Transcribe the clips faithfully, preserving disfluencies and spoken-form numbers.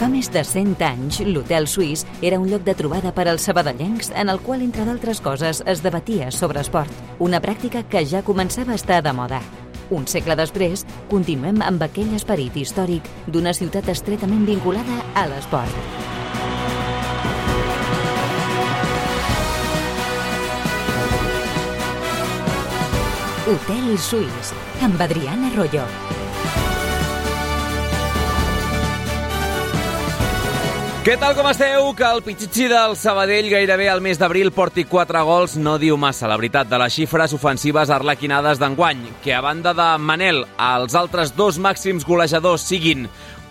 Fa més de cent anys, l'Hotel Suís era un lloc de trobada per als sabadellencs en el qual, entre d'altres coses, es debatia sobre esport, una pràctica que ja començava a estar de moda. Un segle després, continuem amb aquell esperit històric d'una ciutat estretament vinculada a l'esport. Hotel Suís, amb Adriana Arroyo. Què tal, com esteu? Que el Pichichi del Sabadell gairebé al mes d'abril porti quatre gols no diu massa la veritat de les xifres ofensives arlequinades d'enguany, que a banda de Manel, els altres dos màxims golejadors siguin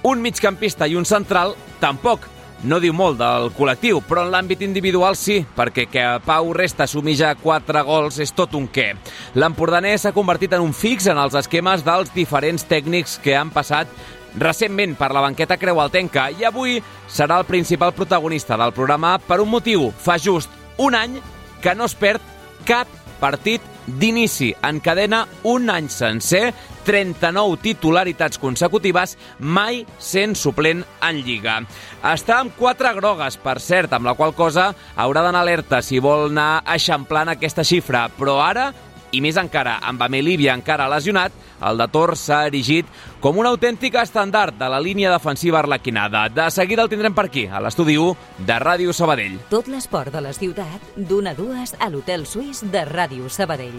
un migcampista i un central, tampoc no diu molt del col·lectiu, però en l'àmbit individual sí, perquè que Pau Resta assumi ja quatre gols és tot un què. L'empordanès s'ha convertit en un fix en els esquemes dels diferents tècnics que han passat recentment per la banqueta creualtenca i avui serà el principal protagonista del programa per un motiu. Fa just un any que no es perd cap partit d'inici. Encadena un any sencer, trenta-nou titularitats consecutives, mai sent suplent en Lliga. Està amb quatre grogues, per cert, amb la qual cosa haurà d'anar alerta si vol anar eixamplant aquesta xifra, però ara, i més encara, amb Amelivia encara lesionat, el de Tor s'ha erigit com un autèntic estàndard de la línia defensiva arlequinada. De seguida el tindrem per aquí, a l'estudi u de Ràdio Sabadell. Tot l'esport de la ciutat, d'una a dues a l'Hotel Suís de Ràdio Sabadell.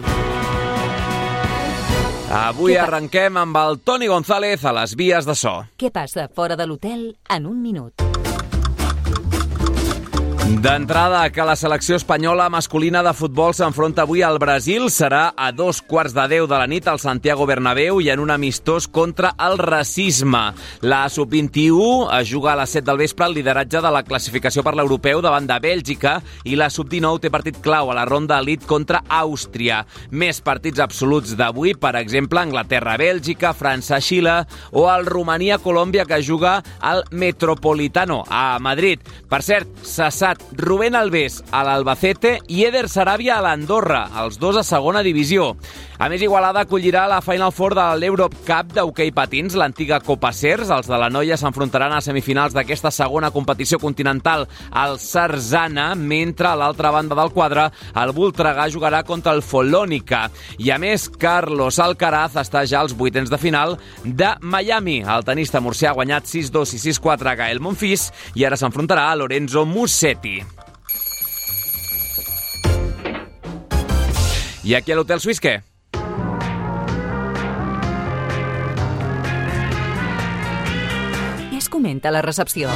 Avui arrenquem amb el Toni González a les vies de so. Què passa fora de l'hotel en un minut? D'entrada, que la selecció espanyola masculina de futbol s'enfronta avui al Brasil. Serà a dos quarts de deu de la nit al Santiago Bernabéu i en un amistós contra el racisme. La sub vint-i-u es juga a les set del vespre al lideratge de la classificació per l'europeu davant de Bèlgica i la sub dinou té partit clau a la ronda elit contra Àustria. Més partits absoluts d'avui, per exemple, Anglaterra-Bèlgica, França-Xile o el Romania-Colòmbia que juga al Metropolitano a Madrid. Per cert, cessat Rubén Alves a l'Albacete i Eder Sarabia a l'Andorra, els dos a segona divisió. A més, Igualada acollirà la Final Four de l'Europe Cup d'hoquei patins, l'antiga Copa Cers. Els de la noia s'enfrontaran a semifinals d'aquesta segona competició continental al Sarzana, mentre a l'altra banda del quadre el Voltregà jugarà contra el Folònica. I a més, Carlos Alcaraz està ja als vuitens de final de Miami. El tenista murcià ha guanyat sis dos i sis quatre a Gael Monfils i ara s'enfrontarà a Lorenzo Musetti. I aquí a l'Hotel Suís, què? Què es comenta a la recepció?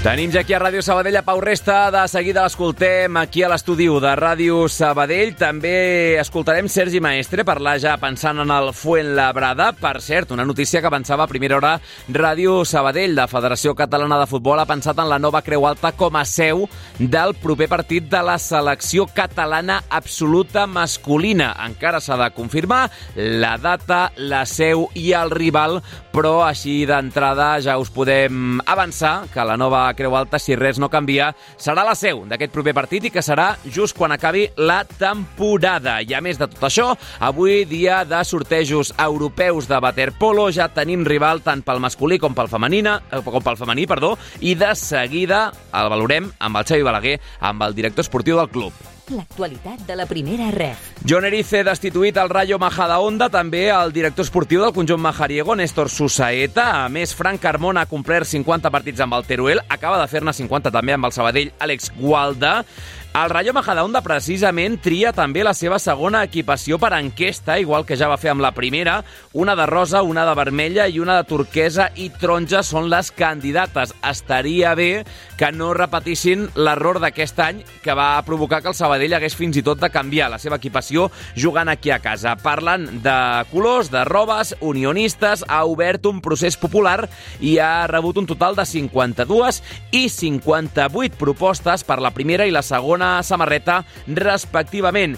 Tenim ja aquí a Ràdio Sabadell a Pau Resta. De seguida l'escoltem aquí a l'estudi u de Ràdio Sabadell. També escoltarem Sergi Maestre parlar ja pensant en el Fuenlabrada. Per cert, una notícia que avançava a primera hora Ràdio Sabadell. La Federació Catalana de Futbol ha pensat en la nova Creu Alta com a seu del proper partit de la selecció catalana absoluta masculina. Encara s'ha de confirmar la data, la seu i el rival, però així d'entrada ja us podem avançar que la nova Creu Alta, si res no canvia, serà la seu d'aquest proper partit i que serà just quan acabi la temporada. I a més de tot això, avui dia de sortejos europeus de waterpolo, ja tenim rival tant pel masculí com pel femenina, com pel femení, perdó, i de seguida el valorem amb el Xavi Balaguer, amb el director esportiu del club. L'actualitat de la primera ref. Jon Erice destituït al Rayo Majadahonda, també el director esportiu del conjunt majariego, Néstor Susaeta. A més, Frank Carmona ha complert cinquanta partits amb el Teruel, acaba de fer-ne cinquanta també amb el Sabadell, Àlex Gualda. El Rayo Majadahonda precisament tria també la seva segona equipació per enquesta, igual que ja va fer amb la primera. Una de rosa, una de vermella i una de turquesa i taronja són les candidates. Estaria bé que no repetissin l'error d'aquest any que va provocar que el Sabadell hagués fins i tot de canviar la seva equipació jugant aquí a casa. Parlant de colors, de robes, Unionistes ha obert un procés popular i ha rebut un total de cinquanta-dues i cinquanta-vuit propostes per la primera i la segona samarreta, respectivament.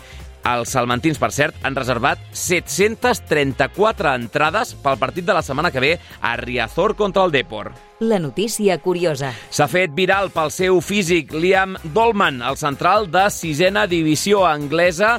Els salmantins, per cert, han reservat set-cents trenta-quatre entrades pel partit de la setmana que ve a Riazor contra el Depor. La notícia curiosa. S'ha fet viral pel seu físic Liam Dolman, el central de sisena divisió anglesa,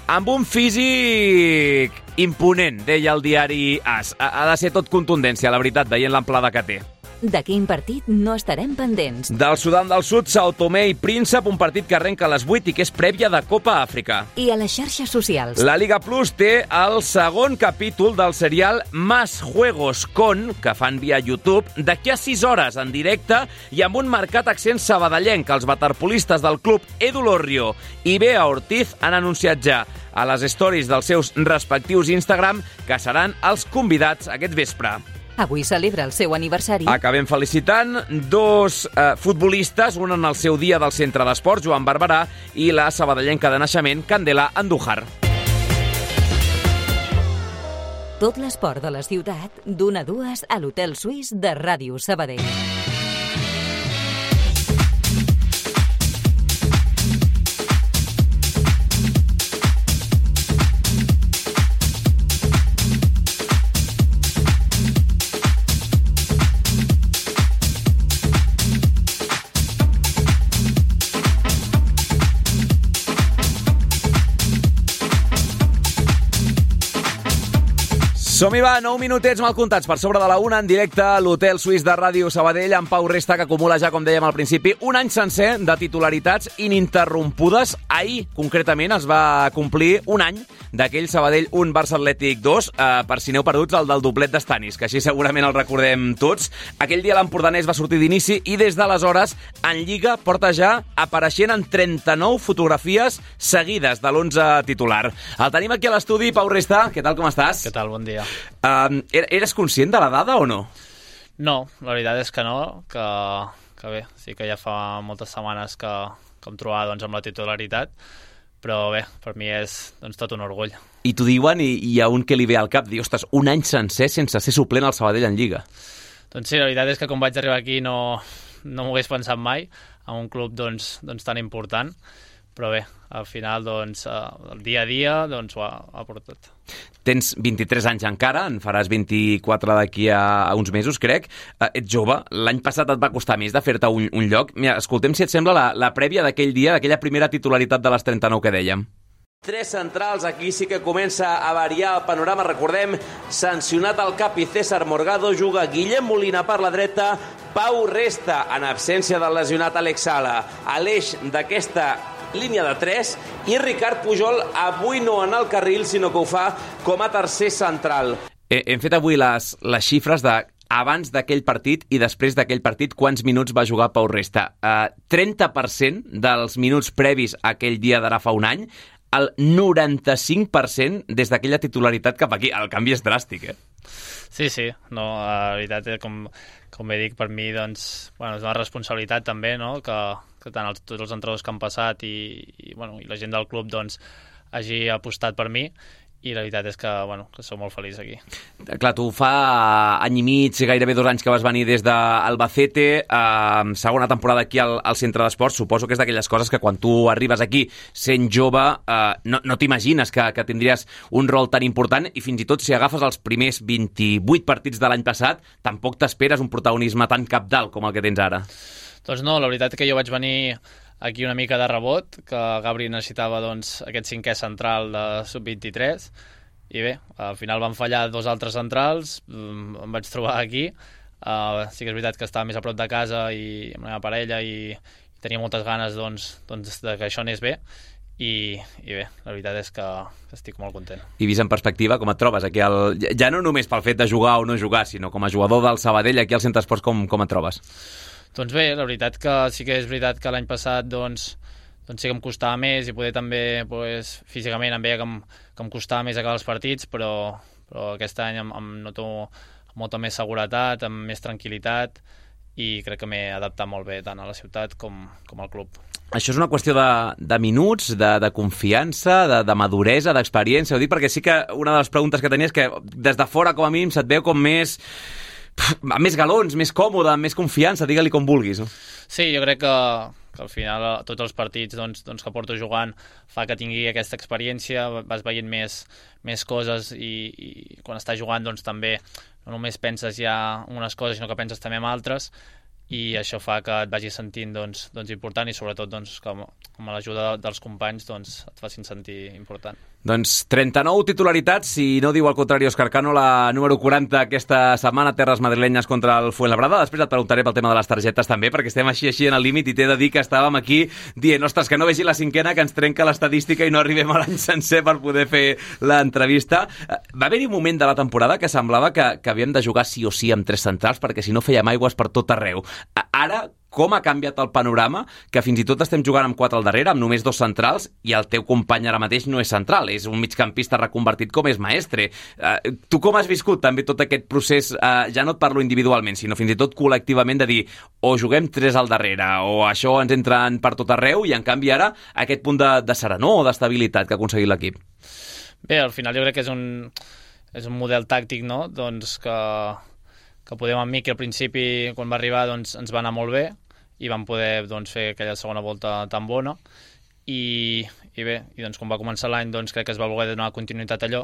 amb un físic imponent, deia el diari As. Ha de ser tot contundència, la veritat, veient l'amplada que té. De quin partit no estarem pendents? Del Sudan del Sud, Sao Tomé i Príncep, un partit que arrenca a les vuit i que és prèvia de Copa Àfrica. I a les xarxes socials. La Liga Plus té el segon capítol del serial Más Juegos Con, que fan via YouTube, d'aquí a sis hores en directe i amb un marcat accent sabadellenc. Els waterpolistes del club Edu Lorrio i Bea Ortiz han anunciat ja a les stories dels seus respectius Instagram que seran els convidats aquest vespre. Avui celebra el seu aniversari. Acabem felicitant dos eh, futbolistes, un en el seu dia del centre d'esports, Joan Barberà, i la sabadellenca de naixement, Candela Andújar. Tot l'esport de la ciutat, d'una a dues a l'Hotel Suís de Ràdio Sabadell. Som-hi va, nou minutets mal comptats per sobre de la una en directe a l'Hotel Suís de Ràdio Sabadell amb Pau Resta, que acumula ja, com dèiem al principi, un any sencer de titularitats ininterrompudes. Ahir, concretament, es va complir un any d'aquell Sabadell un Barça Atlètic dos, eh, per si n'heu perduts, el del doblet d'Estanis, que així segurament el recordem tots. Aquell dia l'empordanès va sortir d'inici i des d'aleshores en Lliga porta ja apareixent en trenta-nou fotografies seguides de l'onze titular. El tenim aquí a l'estudi, Pau Resta. Què tal, com estàs? Què tal, bon dia. Uh, eres conscient de la dada o no? No, la veritat és que no, que, que bé, sí que ja fa moltes setmanes que, que em trobava doncs, amb la titularitat, però bé, per mi és doncs, tot un orgull. I t'ho diuen i hi ha un que li ve al cap, diu, ostres, un any sencer sense ser suplent al Sabadell en Lliga. Doncs sí, la veritat és que quan vaig arribar aquí no, no m'ho hagués pensat mai, en un club doncs, doncs, tan important, però bé, al final, doncs, el dia a dia doncs, ho ha, ha portat. Tens vint-i-tres anys encara, en faràs vint-i-quatre d'aquí a, a uns mesos, crec. Uh, ets jove, l'any passat et va costar més de fer-te un, un lloc. Mira, escoltem si et sembla la, la prèvia d'aquell dia, d'aquella primera titularitat de les trenta-nou que dèiem. Tres centrals, aquí sí que comença a variar el panorama, recordem, sancionat al cap i César Morgado, juga Guillem Molina per la dreta, Pau Resta, en absència del lesionat Alex Sala, a l'eix d'aquesta línia de tres, i Ricard Pujol avui no en el carril, sinó que ho fa com a tercer central. Hem fet avui les, les xifres de abans d'aquell partit i després d'aquell partit, quants minuts va jugar Pau Resta. Uh, trenta per cent dels minuts previs a aquell dia d'ara fa un any, el noranta-cinc per cent des d'aquella titularitat cap aquí. El canvi és dràstic, eh? Sí, sí, no, la veritat, com, com bé dic, per mi doncs, bueno, és una responsabilitat també, no?, que, que tant els, tots els entrenadors que han passat i, i, bueno, i la gent del club doncs, hagi apostat per mi, i la veritat és que, bueno, que soc molt feliç aquí. Clar, tu fa any i mig, gairebé dos anys que vas venir des d'Albacete, eh, segona temporada aquí al, al centre d'esports. Suposo que és d'aquelles coses que quan tu arribes aquí sent jove eh, no, no t'imagines que, que tindries un rol tan important, i fins i tot si agafes els primers vint-i-vuit partits de l'any passat tampoc t'esperes un protagonisme tan cabdal com el que tens ara. Doncs no, la veritat que jo vaig venir aquí una mica de rebot, que Gabri necessitava doncs, aquest cinquè central de sub vint-i-tres, i bé, al final van fallar dos altres centrals, em vaig trobar aquí, uh, sí que és veritat que estava més a prop de casa i amb la meva parella i, i tenia moltes ganes doncs, doncs, de que això anés bé, i, i bé, la veritat és que estic molt content. I vist en perspectiva, com et trobes aquí? Al... Ja no només pel fet de jugar o no jugar, sinó com a jugador del Sabadell aquí al Centre Esports, com, com et trobes? Doncs bé, la veritat que sí que és veritat que l'any passat doncs, doncs sí que em costava més i poder també pues, físicament em veia que em, que em costava més acabar els partits, però, però aquest any em, em noto amb molta més seguretat, amb més tranquil·litat, i crec que m'he adaptat molt bé tant a la ciutat com, com al club. Això és una qüestió de, de minuts, de, de confiança, de, de maduresa, d'experiència. Ho dic perquè sí que una de les preguntes que tenia és que des de fora, com a mínim, se't veu com més... amb més galons, més còmode, amb més confiança, digue-li com vulguis. No? Sí, jo crec que, que al final tots els partits doncs, doncs, que porto jugant fa que tingui aquesta experiència, vas veient més, més coses i, i quan estàs jugant doncs, també no només penses ja unes coses, sinó que penses també en altres, i això fa que et vagis sentint doncs, doncs important i sobretot doncs, com, com a l'ajuda dels companys doncs, et facin sentir important. Doncs trenta-nou titularitats, si no diu al contrari Òscar Cano, la número quaranta aquesta setmana, terres madrilenyes contra el Fuenlabrada. Després et preguntaré pel tema de les targetes també, perquè estem així així en el límit i t'he de dir que estàvem aquí dient, ostres, que no vegi la cinquena, que ens trenca l'estadística i no arribem a l'any sencer per poder fer l'entrevista. Va haver-hi un moment de la temporada que semblava que, que havíem de jugar sí o sí amb tres centrals, perquè si no fèiem aigües per tot arreu. Ara, com ha canviat el panorama, que fins i tot estem jugant amb quatre al darrere, amb només dos centrals, i el teu company ara mateix no és central, és un migcampista reconvertit com és Maestre. Uh, tu com has viscut també tot aquest procés, uh, ja no et parlo individualment, sinó fins i tot col·lectivament, de dir, o juguem tres al darrere, o això ens entra per tot arreu, i en canvi ara aquest punt de, de serenor o d'estabilitat que ha aconseguit l'equip? Bé, al final jo crec que és un, és un model tàctic, no?, doncs que, que podem amb Miqui al principi, quan va arribar, doncs ens va anar molt bé, i vam poder doncs, fer aquella segona volta tan bona i, i bé, i doncs quan va començar l'any doncs crec que es va voler donar continuïtat a allò,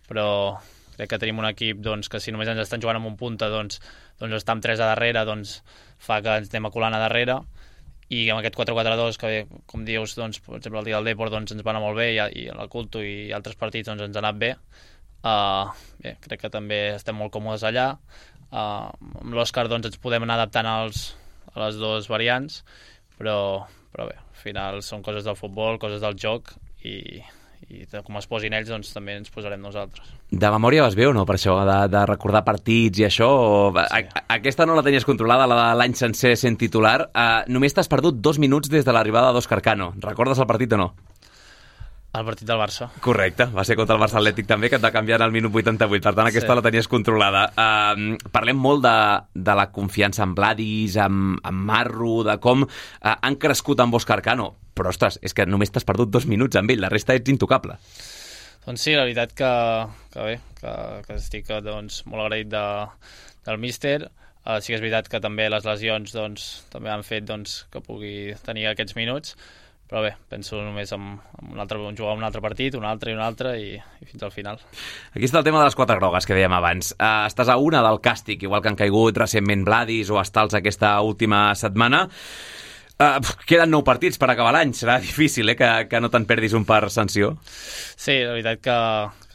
però crec que tenim un equip doncs, que si només ens estan jugant amb un punta doncs, doncs estar amb tres a darrere doncs, fa que ens anem aculant a darrere, i amb aquest quatre quatre dos que com dius, doncs, per exemple el dia del Depor doncs, ens va anar molt bé, i, i el Culto i altres partits doncs, ens ha anat bé. Uh, bé, crec que també estem molt còmodes allà. Uh, amb l'Òscar doncs, ens podem anar adaptant als a les dues variants, però, però bé, al final són coses del futbol, coses del joc, i, i com es posin ells, doncs també ens posarem nosaltres. De memòria vas bé o no, per això, de, de recordar partits i això? O... Sí. A, aquesta no la tenies controlada, la de l'any sencer sent titular. Uh, només t'has perdut dos minuts des de l'arribada d'Òscar Cano. Recordes el partit o no? El partit del Barça. Correcte, va ser contra el Barça Atlètic també, que et va canviar en el minut vuitanta-vuit, per tant aquesta sí. La tenies controlada. Uh, parlem molt de, de la confiança en Vladis, amb, amb Marro, de com uh, han crescut amb Òscar Cano, però ostres, és que només t'has perdut dos minuts amb ell, la resta ets intocable. Doncs sí, la veritat que, que bé, que, que estic doncs, molt agraït de, del míster. Uh, sí que és veritat que també les lesions doncs, també han fet doncs, que pugui tenir aquests minuts, però bé, penso només en, en un altre, jugar un altre partit, un altre i un altre, i, i fins al final. Aquí està el tema de les quatre grogues que dèiem abans. Uh, estàs a una del càstig, igual que han caigut recentment Vladis o Estals aquesta última setmana. Uh, queden nou partits per acabar l'any, serà difícil eh, que, que no te'n perdis un per sanció. Sí, la veritat que,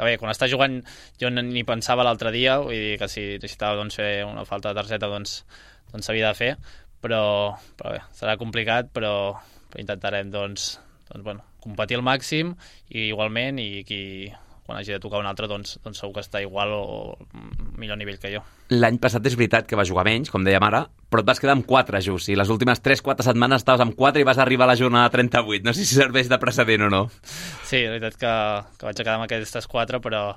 que bé, quan estàs jugant jo ni pensava l'altre dia, vull dir que si necessitava doncs, fer una falta de targeta doncs doncs s'havia de fer, però, però bé, serà complicat, però però intentarem doncs, doncs, bueno, competir al màxim i igualment, i qui quan hagi de tocar un altre doncs, doncs segur que està igual o, o millor nivell que jo. L'any passat és veritat que va jugar menys, com dèiem ara, però et vas quedar amb quatre just, i les últimes tres quatre setmanes estaves amb quatre i vas arribar a la jornada trenta-vuit. No sé si serveix de precedent o no. Sí, la veritat que, que vaig quedar amb aquestes quatre, però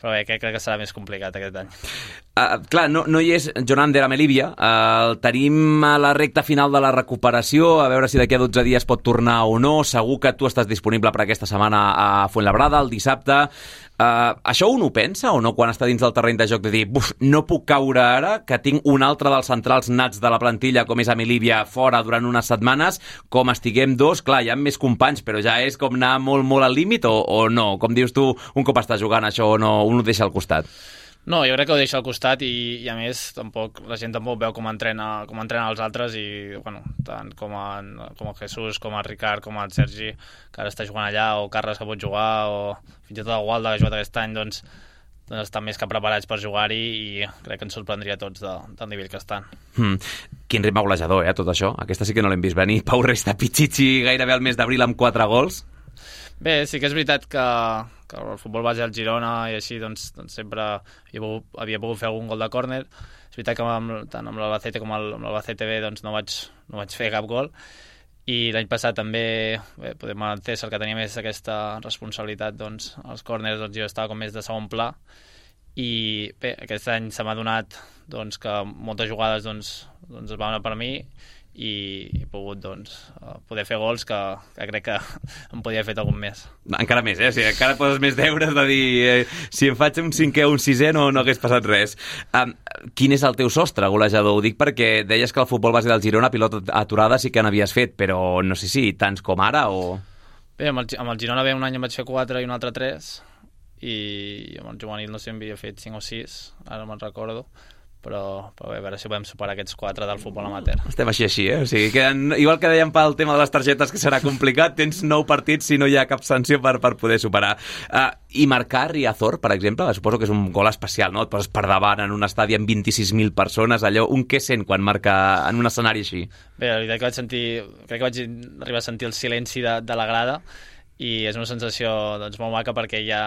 però bé, crec que serà més complicat aquest any. Uh, clar, no, no hi és Jonander Amelívia, uh, el tenim a la recta final de la recuperació, a veure si d'aquí a dotze dies pot tornar o no. Segur que tu estàs disponible per aquesta setmana a Fuenlabrada, el dissabte. Uh, això un ho pensa o no quan està dins del terreny de joc, de dir, buf, no puc caure ara, que tinc un altre dels centrals nats de la plantilla com és Amelívia fora durant unes setmanes, com estiguem dos, clar, hi ha més companys, però ja és com anar molt, molt al límit o, o no? Com dius tu, un cop està jugant això o no, un ho deixa al costat? No, jo crec que ho deixa al costat i, i a més tampoc, la gent tampoc veu com entrena, com entrena els altres i bueno, tant com en, com en Jesús, com en Ricard, com en Sergi, que ara està jugant allà, o Carles que pot jugar, o fins i tot el Gualda que ha jugat aquest any, doncs, doncs estan més que preparats per jugar-hi i crec que ens sorprendria a tots de, del nivell que estan. Hmm. Quin ritme golejador, eh, tot això. Aquesta sí que no l'hem vist venir. Pau Resta Pichichi gairebé al mes d'abril amb quatre gols. Bé, sí que és veritat que, que el futbol base al Girona i així doncs, doncs sempre havia pogut, havia pogut fer algun gol de córner. És veritat que amb, tant amb l'Albacete com el, amb l'Albacete B doncs, no, vaig, no vaig fer cap gol, i l'any passat també bé, podem entendre que tenia més aquesta responsabilitat doncs, als córners, doncs, jo estava com més de segon pla, i bé, aquest any se m'ha donat doncs, que moltes jugades doncs, doncs es van anar per mi i he pogut doncs, poder fer gols que, que crec que em podia haver fet algun més. Encara més, eh? O sigui, encara poses més deures de dir eh, si em faig un cinquè o un sisè no, no hagués passat res. Um, quin és el teu sostre golejador? Ho dic perquè deies que el futbol base del Girona, pilota aturada, sí que n'havies fet, però no sé si tants com ara o... Bé, amb el, amb el Girona bé un any em vaig fer quatre i un altre tres, i amb el juvenil no sé, em havia fet cinc o sis, ara me'n recordo, però, però bé, a veure si podem superar aquests quatre del futbol amateur. Estem així així, eh? O sigui, queden, igual que dèiem pel tema de les targetes, que serà complicat, tens nou partits si no hi ha cap sanció per, per poder superar. Uh, I marcar Riazor, per exemple, suposo que és un gol especial, no? Et poses per davant en un estadi amb vint-i-sis mil persones, allò, un què sent quan marca en un escenari així? Bé, la veritat que vaig sentir, crec que vaig arribar a sentir el silenci de, de la grada, i és una sensació doncs, molt maca, perquè ja,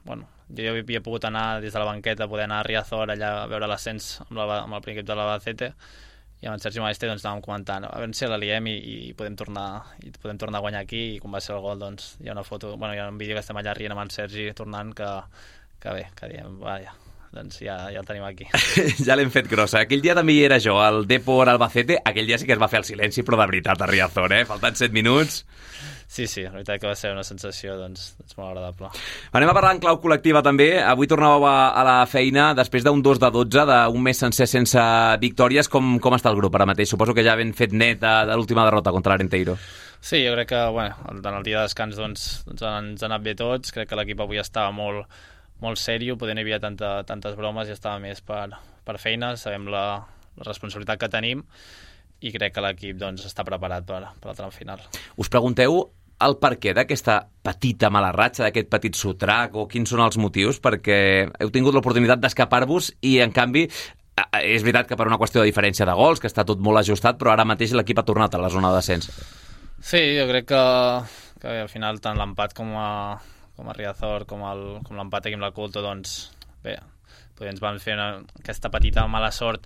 bueno, jo ja havia pogut anar des de la banqueta, poder anar a Riazor allà a veure l'ascens amb, amb el primer equip de l'Albacete, i amb en Sergi Maestre doncs, anàvem comentant a veure si la liem i, i, podem tornar, i podem tornar a guanyar aquí, i quan va ser el gol doncs, hi ha una foto, bueno, hi ha un vídeo que estem allà rient amb en Sergi tornant, que, que bé, que diem, vaja, doncs ja, ja el tenim aquí. Ja l'hem fet grossa. Aquell dia també hi era jo, al Depor Albacete, aquell dia sí que es va fer el silenci, però de veritat a Riazor, eh? Faltant set minuts. Sí, sí, la veritat que va ser una sensació doncs, doncs molt agradable. Anem a parlar en clau col·lectiva també. Avui tornàveu a, a la feina després d'un dos de dotze, d'un mes sencer sense victòries. Com, com està el grup ara mateix? Suposo que ja ben fet net de, de l'última derrota contra l'Arenteiro. Sí, jo crec que bueno, en el dia de descans doncs, doncs ens ha anat bé tots. Crec que l'equip avui estava molt, molt sèrio, poder no hi havia tanta, tantes bromes i estava més per, per feina. Sabem la, la responsabilitat que tenim i crec que l'equip doncs, està preparat per, per al tram final. Us pregunteu el perquè d'aquesta petita mala ratxa, d'aquest petit sotrac, o quins són els motius, perquè heu tingut l'oportunitat d'escapar-vos i, en canvi, és veritat que per una qüestió de diferència de gols, que està tot molt ajustat, però ara mateix l'equip ha tornat a la zona de descens. Sí, jo crec que, que al final tant l'empat com a, com a Riazor, com, el, com l'empat aquí amb la Culto, doncs, bé, ens van fer una, aquesta petita mala sort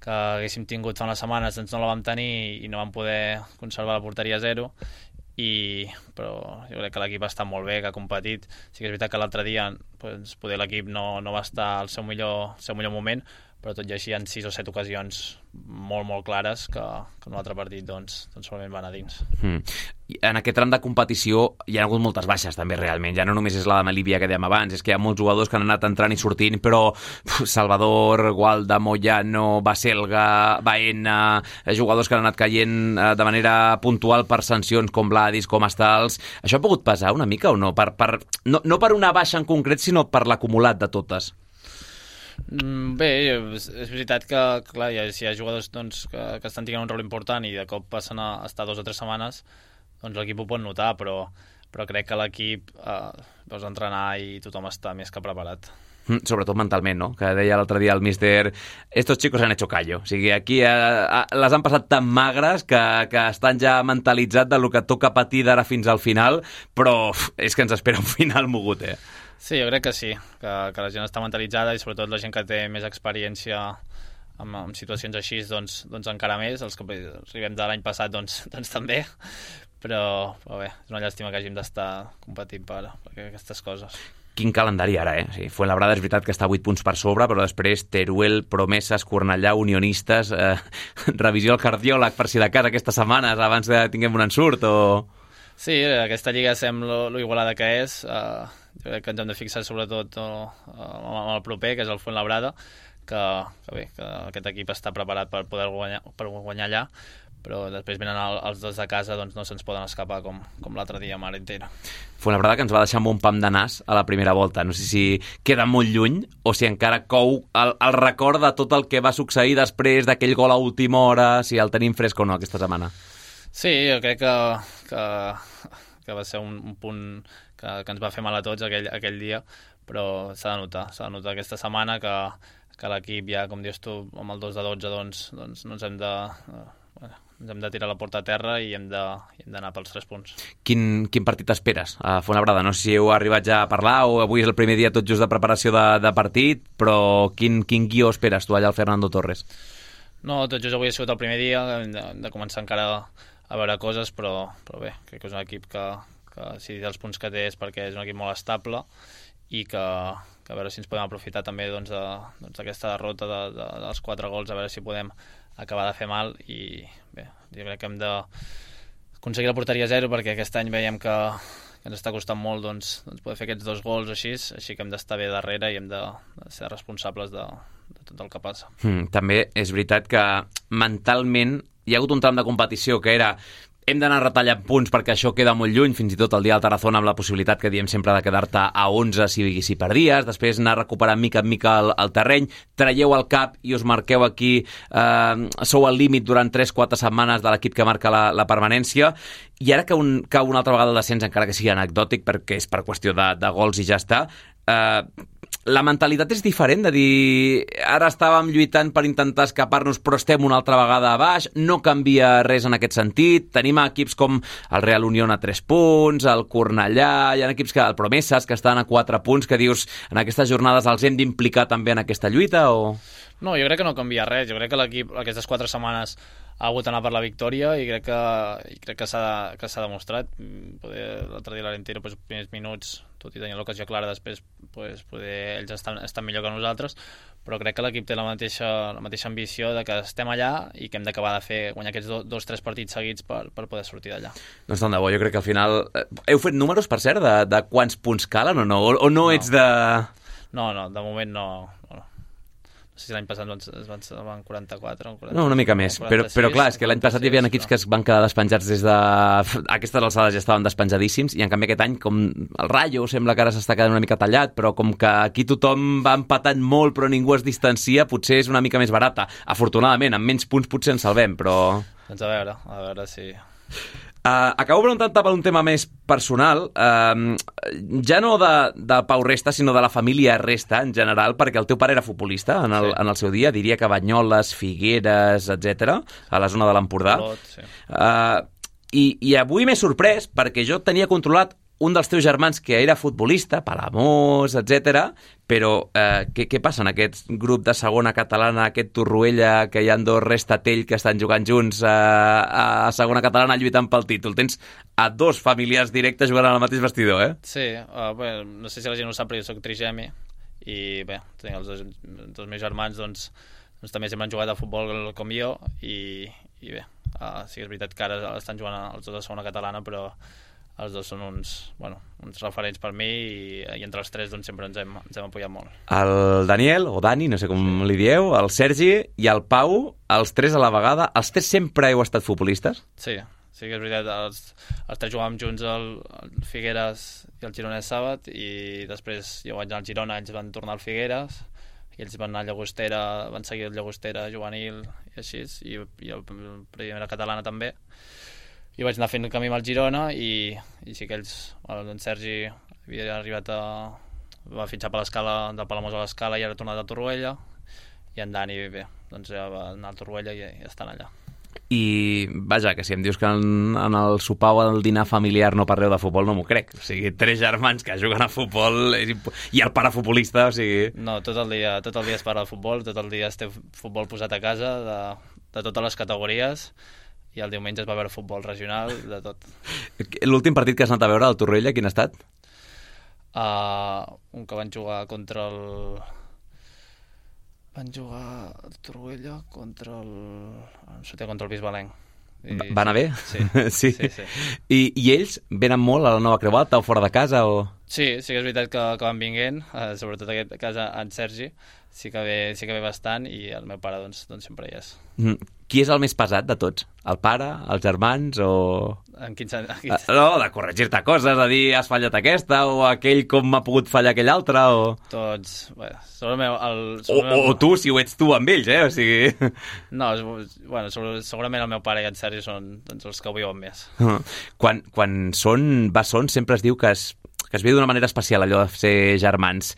que haguéssim tingut fa unes setmanes, doncs no la vam tenir i no vam poder conservar la porteria a zero. I, però jo crec que l'equip està molt bé, que ha competit. Sí que és veritat que l'altre dia doncs, poder l'equip no, no va estar al seu millor, seu millor moment, però tot i així hi ha sis o set ocasions molt, molt clares que, que en un altre partit doncs, doncs solament van a dins. Mm. En aquest tram de competició hi ha hagut moltes baixes també realment, ja no només és la de Melívia que dèiem abans, és que hi ha molts jugadors que han anat entrant i sortint, però uf, Salvador, Gualda, Moyano, Baselga, Baena, jugadors que han anat caient eh, de manera puntual per sancions com Vladis, com Estals. Això ha pogut pesar una mica o no? Per, per, no, no per una baixa en concret, sinó per l'acumulat de totes. Bé, és veritat que clar, hi ha, si hi ha jugadors doncs, que, que estan tenint un rol important i de cop passen a estar dues o tres setmanes, doncs l'equip ho pot notar, però, però crec que l'equip eh, veus entrenar i tothom està més que preparat. Mm, sobretot mentalment, no? Que deia l'altre dia el míster, estos chicos han hecho callo. O sigui, aquí eh, les han passat tan magres que, que estan ja mentalitzats de lo que toca patir d'ara fins al final, però uf, és que ens espera un final mogut, eh? Sí, jo crec que sí, que, que la gent està mentalitzada i sobretot la gent que té més experiència en, en situacions així, doncs, doncs encara més. Els que arribem de l'any passat, doncs, doncs també, però, però bé, és una llàstima que hàgim d'estar competint per, per aquestes coses. Quin calendari ara, eh? Sí, Fuenlabrada és veritat que està a vuit punts per sobre, però després Teruel, Promeses, Cornellà, Unionistes, eh, revisió al cardiòleg per si de cas aquestes setmanes abans que tinguem un ensurt o... Sí, aquesta lliga sembla lo igualada que és. Uh, jo crec que ens hem de fixar sobretot uh, amb el proper, que és el Fuenlabrada, que, que bé, que aquest equip està preparat per poder guanyar, per guanyar allà, però després venen el, els dos de casa, doncs no se'ns poden escapar com, com l'altre dia a Arenteiro. Fuenlabrada que ens va deixar amb un pam de nas a la primera volta. No sé si queda molt lluny o si encara cou el, el record de tot el que va succeir després d'aquell gol a última hora, si el tenim fresc o no aquesta setmana. Sí, jo crec que, que, que va ser un, un punt que, que ens va fer mal a tots aquell, aquell dia, però s'ha de notar, s'ha de notar aquesta setmana que, que l'equip ja, com dius tu, amb el dos de dotze, doncs, doncs no ens hem de... Bueno, ens hem de tirar la porta a terra i hem d'anar pels tres punts. Quin, quin partit esperes a Fuenlabrada? No sé si heu arribat ja a parlar o avui és el primer dia tot just de preparació de, de partit, però quin, quin guió esperes tu allà al Fernando Torres? No, tot just avui ha sigut el primer dia, hem de, hem de començar encara a veure coses, però, però bé, crec que és un equip que, que si els punts que té és perquè és un equip molt estable i que, que a veure si ens podem aprofitar també doncs, de, doncs, d'aquesta derrota de, de, dels quatre gols, a veure si podem acabar de fer mal i bé, jo crec que hem d'aconseguir la porteria zero perquè aquest any veiem que, que ens està costant molt doncs, doncs poder fer aquests dos gols així, així que hem d'estar bé darrere i hem de, de ser responsables de, de tot el que passa. Mm, també és veritat que mentalment hi ha hagut un tram de competició que era hem d'anar retallant punts perquè això queda molt lluny, fins i tot el dia del Tarazona amb la possibilitat que diem sempre de quedar-te a onze si, si perdies, després anar recuperant mica en mica el, el terreny, traieu el cap i us marqueu aquí, eh, sou al límit durant tres quatre setmanes de l'equip que marca la, la permanència, i ara que un, cau una altra vegada el descens, encara que sigui anecdòtic perquè és per qüestió de, de gols i ja està, eh, la mentalitat és diferent, de dir ara estàvem lluitant per intentar escapar-nos però estem una altra vegada a baix, no canvia res en aquest sentit, tenim equips com el Real Unión a tres punts, el Cornellà, hi ha equips que, el Promeses que estan a quatre punts, que dius en aquestes jornades els hem d'implicar també en aquesta lluita o... No, jo crec que no canvia res, jo crec que l'equip aquestes quatre setmanes ha hagut d'anar per la victòria i crec que, i crec que s'ha que s'ha demostrat. Poder, l'altre dia l'Arentino, doncs, els primers minuts, tot i tenir l'ocasió clara, després pues, poder, ells estan, estan millor que nosaltres, però crec que l'equip té la mateixa, la mateixa ambició de que estem allà i que hem d'acabar de fer guanyar aquests do, dos tres partits seguits per, per poder sortir d'allà. Doncs tant de bo, jo crec que al final... Heu fet números, per cert, de, de quants punts calen o no? O, o no, no ets de... No, no, de moment no... no. No sé si l'any passat es van, van quaranta-quatre o quaranta, no, una mica més, però, però clar, és que l'any passat hi havia equips que es van quedar despenjats des de... Aquestes alçades ja estaven despenjadíssims i en canvi aquest any, com el Rayo sembla que ara s'està quedant una mica tallat, però com que aquí tothom va empatant molt però ningú es distancia, potser és una mica més barata. Afortunadament, amb menys punts potser ens salvem, però... Doncs a veure, a veure si... Uh, acabo preguntant-te per un tema més personal, uh, ja no de, de Pau Resta, sinó de la família Resta en general, perquè el teu pare era futbolista en el, sí. en el seu dia, diria que Banyoles, Figueres, etcètera, a la zona de l'Empordà. Sí. Uh, i, I avui m'he sorprès perquè jo tenia controlat un dels teus germans que era futbolista, Palamós, etcètera, però eh, què, què passa en aquest grup de segona catalana, aquest Torroella, que hi ha dos Restatell que estan jugant junts a, a segona catalana lluitant pel títol? Tens a dos familiars directes jugant al mateix vestidor, eh? Sí, uh, bé, no sé si la gent ho sap, però jo soc trigemi i bé, tinc els dos, dos meus germans, doncs, doncs també sempre han jugat a futbol com jo i, i bé, uh, sí que és veritat que ara estan jugant els dos a segona catalana, però els dos són uns, bueno, uns referents per mi i, i entre els tres doncs, sempre ens hem, ens hem apoyat molt. El Daniel, o Dani, no sé com sí. li dieu, el Sergi i el Pau, els tres a la vegada, els tres sempre heu estat futbolistes? Sí, sí que és veritat, els, els tres jugàvem junts al, al Figueres i al Gironès Sàbat i després jo vaig anar al Girona, ells van tornar al Figueres i ells van anar a Llagostera, van seguir el Llagostera juvenil i així, i, i el primera catalana també. I vaig anar fent el camí amb el Girona i, i sí que ells, el Sergi havia arribat a... va fitxar per l'escala, del Palamós a l'escala i ara ha tornat a Torroella i en Dani, bé, doncs ja va anar a Torroella i, i estan allà. I, vaja, que si em dius que en, en el sopar o el dinar familiar no parleu de futbol, no m'ho crec. O sigui, tres germans que juguen a futbol és imp... i el pare futbolista, o sigui... No, tot el dia, tot el dia es parla de futbol, tot el dia es té futbol posat a casa, de, de totes les categories, i el diumenge es va veure futbol regional, de tot. L'últim partit que has anat a veure al Torroella, quin ha estat? Uh, un que van jugar contra el... Van jugar al Torroella contra el... contra el Bisbalenc. I... Va anar bé? Sí. sí. sí, sí. I, I ells venen molt a la Nova Creu Alta o fora de casa? O... Sí, sí que és veritat que, que van vinguent, uh, sobretot aquest cas en Sergi, sí que ve, sí que ve bastant i el meu pare doncs, doncs sempre hi és. Mm. Qui és el més pesat de tots? El pare, els germans o... En quin sentit? Quin... No, de corregir-te coses, de dir has fallat aquesta o aquell com m'ha pogut fallar aquell altre o... Tots, bé, sobre el meu... El, sobre o, el meu... o tu, si ho ets tu amb ells, eh? O sigui... No, bueno, sobre, segurament el meu pare i en Sergi són doncs, els que ho viuen més. Quan, quan són bessons sempre es diu que es, que es viu d'una manera especial allò de ser germans.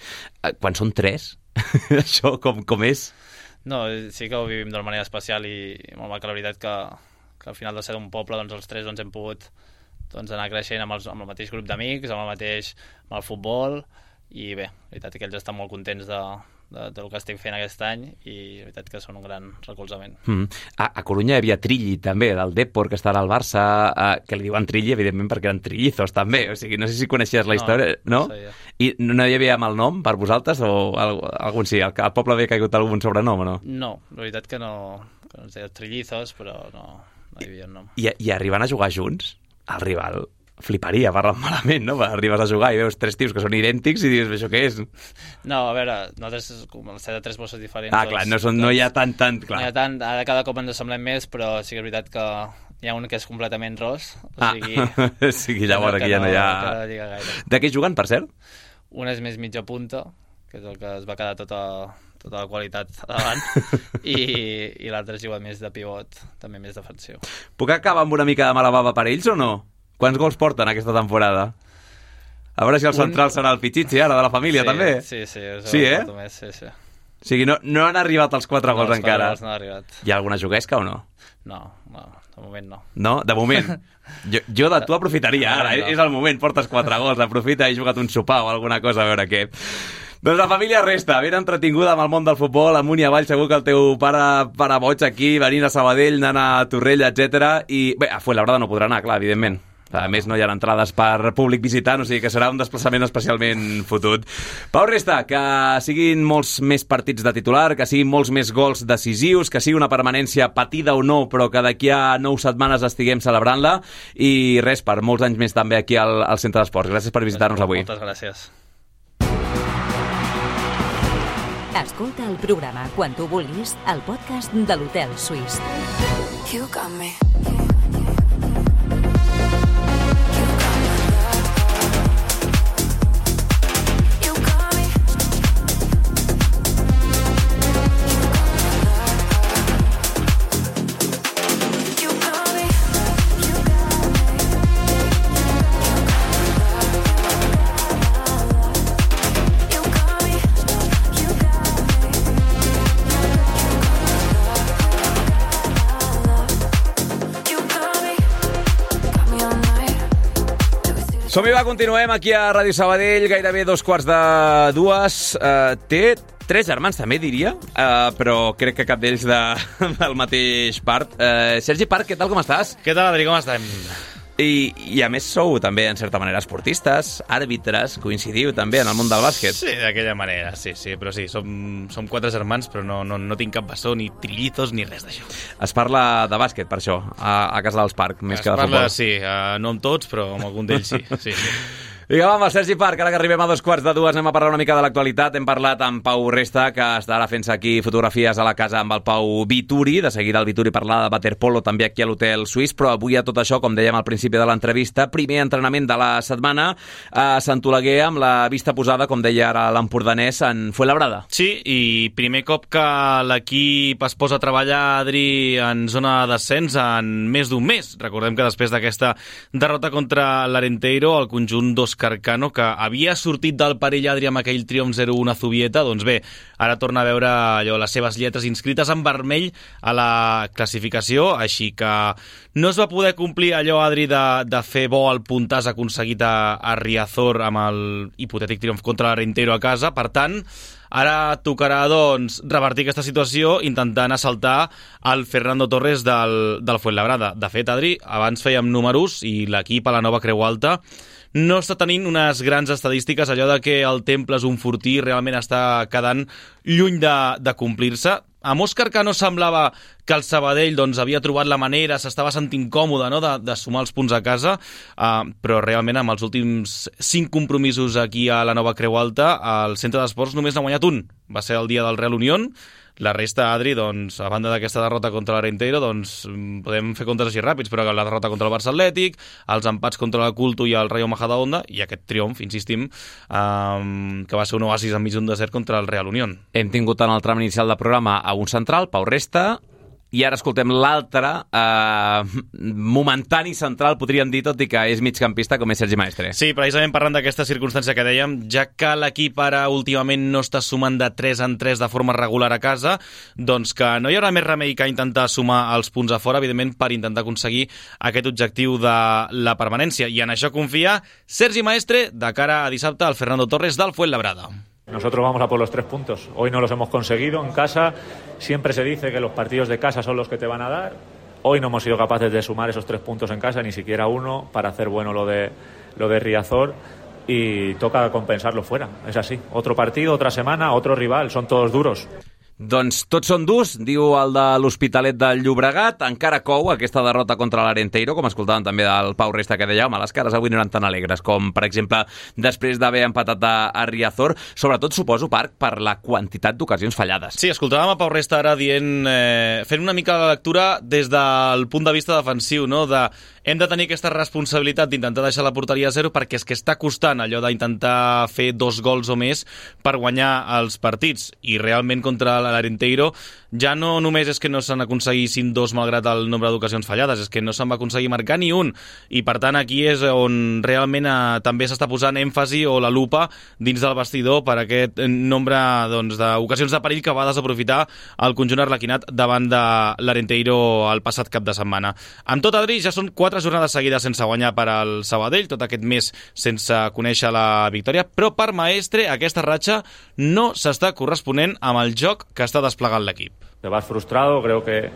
Quan són tres, això com, com és? No, sí que ho vivim d'una manera especial i molt maca, la veritat que, que al final de ser d'un poble doncs els tres doncs, hem pogut doncs, anar creixent amb, els, amb el mateix grup d'amics, amb el mateix amb el futbol i bé, la veritat que ells estan molt contents de, de, del que estic fent aquest any i la veritat que són un gran recolzament. Mm. A, a Corunya hi havia Trilli també, del Depor, que està al Barça, eh, que li diuen Trilli evidentment perquè eren trillizos també, o sigui, no sé si coneixies la història, no? no? no I no hi havia mal nom per vosaltres o algun sí, al, al poble havia caigut algun sobrenom o no? No, la veritat que no, que no ens deia trillizos, però no, no hi havia un nom. I, i arribant a jugar junts, el rival fliparia, parlant malament, no? Arribes a jugar i veus tres tios que són idèntics i dius, això què és? No, a veure, nosaltres com el set de tres bosses diferents... Ah, clar, no, són, no hi ha tant, tant... Clar. No hi ha tant, ara cada cop ens semblem més, però sí que és veritat que, hi ha un que és completament ros, o ah, sigui... sí, llavors aquí ja no hi ha... De què juguen, per cert? Un és més mitja punta, que és el que es va quedar tota, tota la qualitat davant, i, i l'altre juga més de pivot, també més defensiu. Puc acabar amb una mica de mala bava per ells o no? Quants gols porten aquesta temporada? A veure si el central un... serà el Pichichi, ara, de la família, sí, també. Sí, sí. Sí, eh? Més, sí, sí. O sigui, no, no han arribat als quatre no, gols encara. No, no han arribat. Hi ha alguna juguesca o no? No, no, de moment no. No? De moment? Jo, jo de tu aprofitaria ara, no. És el moment, portes quatre gols, aprofita i juga't un sopar o alguna cosa, a veure què. Doncs la família resta, ben entretinguda amb el món del futbol, amunt i avall, segur que el teu pare para boig aquí, venint a Sabadell, anant a Torrella, etcètera. I bé, a Fuenlabrada no podrà anar, clar, evidentment. A més, no hi ha entrades per públic visitant, o sigui que serà un desplaçament especialment fotut. Pau Resta, que siguin molts més partits de titular, que siguin molts més gols decisius, que sigui una permanència patida o no, però que d'aquí a nou setmanes estiguem celebrant-la, i res, per molts anys més també aquí al, al Centre d'Esports. Gràcies per visitar-nos avui. Moltes gràcies. Escolta el programa quan tu vulguis al podcast de l'Hotel Suís. You got me. Som-hi, va, continuem aquí a Ràdio Sabadell, gairebé dos quarts de dues. Uh, té tres germans, també, diria, uh, però crec que cap d'ells de, del mateix part. Uh, Sergi Parc, què tal, com estàs? Què tal, Adri, com estem? I, I a més sou també, en certa manera, esportistes, àrbitres, coincidiu també en el món del bàsquet. Sí, d'aquella manera, sí, sí, però sí, som, som quatre germans, però no, no, no tinc cap bessó, ni trillizos, ni res d'això. Es parla de bàsquet, per això, a, a casa dels Parc, més es que de parla, futbol. sí, uh, no amb tots, però amb algun d'ells sí, sí, sí. Vinga, va, amb el Sergi Parc, ara que arribem a dos quarts de dues anem a parlar una mica de l'actualitat. Hem parlat amb Pau Resta, que estarà fent-se aquí fotografies a la casa amb el Pau Vituri. De seguida el Vituri parlarà de waterpolo també aquí a l'Hotel Suís, però avui a tot això, com dèiem al principi de l'entrevista, primer entrenament de la setmana a Sant Oleguer amb la vista posada, com deia ara l'empordanès, en Fuenlabrada. Sí, i primer cop que l'equip es posa a treballar, Adri, en zona de descens en més d'un mes. Recordem que després d'aquesta derrota contra l'Arenteiro, el conjunt dos Carcano, que havia sortit del perill, Adri, amb aquell triomf zero un a Zubieta, doncs bé, ara torna a veure allò, les seves lletres inscrites en vermell a la classificació, així que no es va poder complir allò, Adri, de, de fer bo el puntàs aconseguit a, a Riazor amb el hipotètic triomf contra l'Arenteiro a casa. Per tant, ara tocarà, doncs, revertir aquesta situació intentant assaltar el Fernando Torres del, del Fuenlabrada. De fet, Adri, abans fèiem números i l'equip a la nova Creu Alta no està tenint unes grans estadístiques, allò de que el Temple és un fortí realment està quedant lluny de, de complir-se. A Òscar Cano semblava que el Sabadell doncs, havia trobat la manera, s'estava sentint còmode, no?, de, de sumar els punts a casa, uh, però realment amb els últims cinc compromisos aquí a la nova Creu Alta, el Centre d'Esports només n'ha guanyat un. Va ser el dia del Real Unión. La resta, Adri, doncs, a banda d'aquesta derrota contra l'Arenteiro, doncs, podem fer comptes així ràpids, però la derrota contra el Barça Atlètic, els empats contra la Culto i el Rayo Majadahonda, i aquest triomf, insistim, um, que va ser un oasis enmig d'un desert contra el Real Unión. Hem tingut en el tram inicial del programa a un central, Pau Resta, i ara escoltem l'altre eh, momentani central, podríem dir, tot i que és migcampista, com és Sergi Maestre. Sí, precisament parlant d'aquesta circumstància que dèiem, ja que l'equip ara últimament no està sumant de tres en tres de forma regular a casa, doncs que no hi haurà més remei que intentar sumar els punts a fora, evidentment, per intentar aconseguir aquest objectiu de la permanència. I en això confia Sergi Maestre de cara a dissabte al Fernando Torres del Fuenlabrada. Nosotros vamos a por los tres puntos. Hoy no los hemos conseguido en casa. Siempre se dice que los partidos de casa son los que te van a dar. Hoy no hemos sido capaces de sumar esos tres puntos en casa, ni siquiera uno, para hacer bueno lo de, lo de Riazor. Y toca compensarlo fuera. Es así. Otro partido, otra semana, otro rival. Son todos duros. Doncs tots són durs, diu el de l'Hospitalet del Llobregat. Encara cou aquesta derrota contra l'Arenteiro, com escoltàvem també del Pau Resta, que deia, home, les cares avui no eren tan alegres com, per exemple, després d'haver empatat a, a Riazor. Sobretot, suposo, Parc, per la quantitat d'ocasions fallades. Sí, escoltàvem a Pau Resta ara dient, eh, fent una mica la lectura des del punt de vista defensiu, no? De hem de tenir aquesta responsabilitat d'intentar deixar la porteria a zero perquè és que està costant allò d'intentar fer dos gols o més per guanyar els partits. I realment contra l'Arenteiro ja no només és que no se'n aconseguissin dos malgrat el nombre d'ocasions fallades, és que no se'n va aconseguir marcar ni un. I per tant aquí és on realment eh, també s'està posant èmfasi o la lupa dins del vestidor per aquest nombre doncs, d'ocasions de perill que va desaprofitar el conjunt arlequinat davant de l'Arenteiro el passat cap de setmana. Amb tot, Adri, ja són quatre jornades seguides sense guanyar per al Sabadell, tot aquest mes sense conèixer la victòria, però per Maestre aquesta ratxa no s'està corresponent amb el joc que està desplegant l'equip. Te vas frustrado, creo que,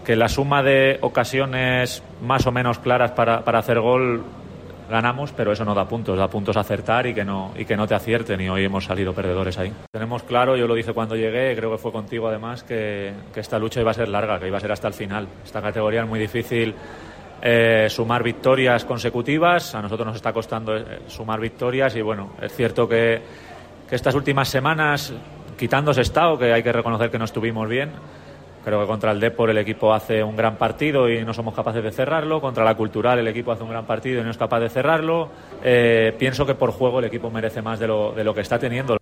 que la suma de ocasiones más o menos claras para, para hacer gol ganamos, pero eso no da puntos, da puntos acertar y que no y que no te acierten, y hoy hemos salido perdedores ahí. Tenemos claro, yo lo dije cuando llegué, creo que fue contigo además, que, que esta lucha iba a ser larga, que iba a ser hasta el final. Esta categoría es muy difícil eh, sumar victorias consecutivas, a nosotros nos está costando eh, sumar victorias y bueno, es cierto que, que estas últimas semanas, quitando Sestao, que hay que reconocer que no estuvimos bien. Creo que contra el Depor el equipo hace un gran partido y no somos capaces de cerrarlo. Contra la Cultural el equipo hace un gran partido y no es capaz de cerrarlo. Eh, pienso que por juego el equipo merece más de lo, de lo que está teniendo.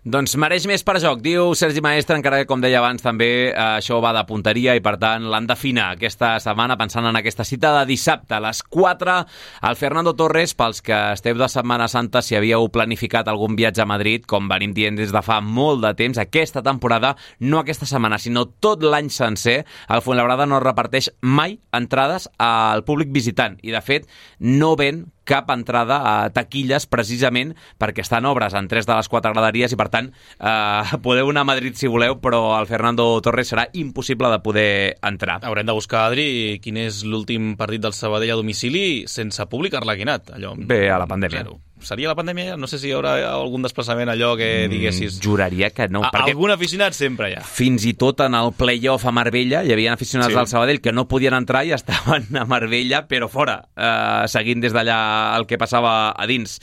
Doncs mereix més per joc, diu Sergi Maestre, encara que, com deia abans, també eh, això va de punteria i, per tant, l'han d'afinar aquesta setmana, pensant en aquesta cita de dissabte a les quatre. El Fernando Torres, pels que esteu de Setmana Santa, si havíeu planificat algun viatge a Madrid, com venim dient des de fa molt de temps, aquesta temporada, no aquesta setmana, sinó tot l'any sencer, el Fuenlabrada no reparteix mai entrades al públic visitant i, de fet, no ven cap entrada a taquilles precisament perquè estan obres en tres de les quatre graderies i, per tant, eh, podeu anar a Madrid si voleu, però el Fernando Torres serà impossible de poder entrar. Haurem de buscar, Adri, quin és l'últim partit del Sabadell a domicili sense públic arlequinat. Allò, Bé, a la pandèmia. Zero. Seria la pandèmia? No sé si hi haurà algun desplaçament allò que diguessis... Mm, juraria que no. A, perquè algun aficionat sempre hi ha. Fins i tot en el play-off a Marbella hi havia aficionats sí. del Sabadell que no podien entrar i estaven a Marbella, però fora, eh, seguint des d'allà el que passava a dins.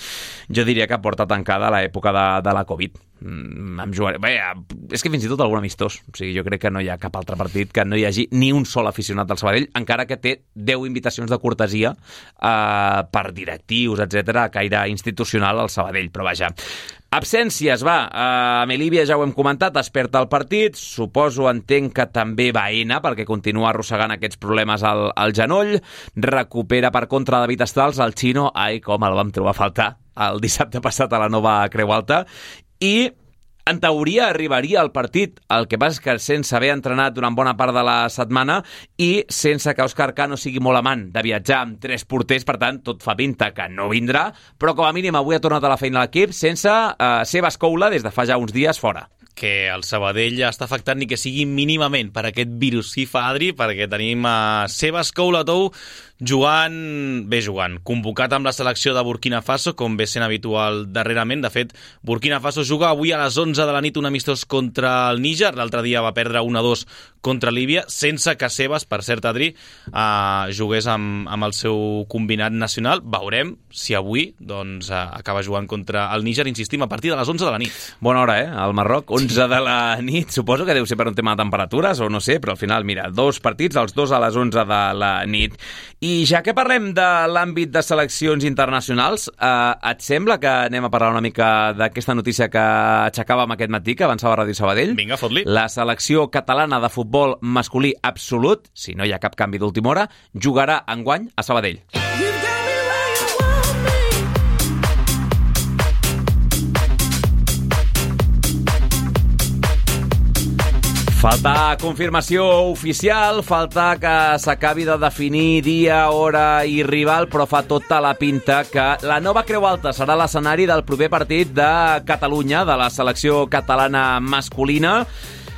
Jo diria que porta tancada l'època de, de la Covid. Mm, em jugaré. Bé, és que fins i tot algun amistós. O sigui, jo crec que no hi ha cap altre partit que no hi hagi ni un sol aficionat del Sabadell, encara que té deu invitacions de cortesia eh, per directius, etcètera, a caire institucional al Sabadell. Però vaja, absències, va. A Melívia ja ho hem comentat, es perd el partit. Suposo, entenc que també Baena, perquè continua arrossegant aquests problemes al, al genoll. Recupera per contra David Estrals, el xino. Ai, com el vam trobar a faltar el dissabte passat a la nova Creu Alta. I en teoria arribaria al partit, el que passa és que sense haver entrenat durant bona part de la setmana i sense que Òscar Cano sigui molt amant de viatjar amb tres porters, per tant, tot fa pinta que no vindrà, però com a mínim avui ha tornat a la feina a l'equip sense eh, Sebas Coula des de fa ja uns dies fora. Que el Sabadell està afectat ni que sigui mínimament per aquest virus. Sí, fa, Adri, perquè tenim a Sebas Coulatou jugant, bé jugant, convocat amb la selecció de Burkina Faso, com ve sent habitual darrerament. De fet, Burkina Faso juga avui a les onze de la nit un amistós contra el Níger. L'altre dia va perdre un a dos contra Líbia, sense que Sebas, per cert, Adri, eh, jugués amb, amb el seu combinat nacional. Veurem si avui doncs, eh, acaba jugant contra el Níger, insistim, a partir de les onze de la nit. Bona hora, eh? Al Marroc, onze de la nit. Suposo que deu ser per un tema de temperatures o no sé, però al final, mira, dos partits, els dos a les onze de la nit. I ja que parlem de l'àmbit de seleccions internacionals, eh, et sembla que anem a parlar una mica d'aquesta notícia que aixecàvem aquest matí, que avançava a Ràdio Sabadell? Vinga, fot-li. La selecció catalana de futbol masculí absolut, si no hi ha cap canvi d'última hora, jugarà enguany a Sabadell. Falta confirmació oficial, falta que s'acabi de definir dia, hora i rival, però fa tota la pinta que la nova Creu Alta serà l'escenari del proper partit de Catalunya, de la selecció catalana masculina.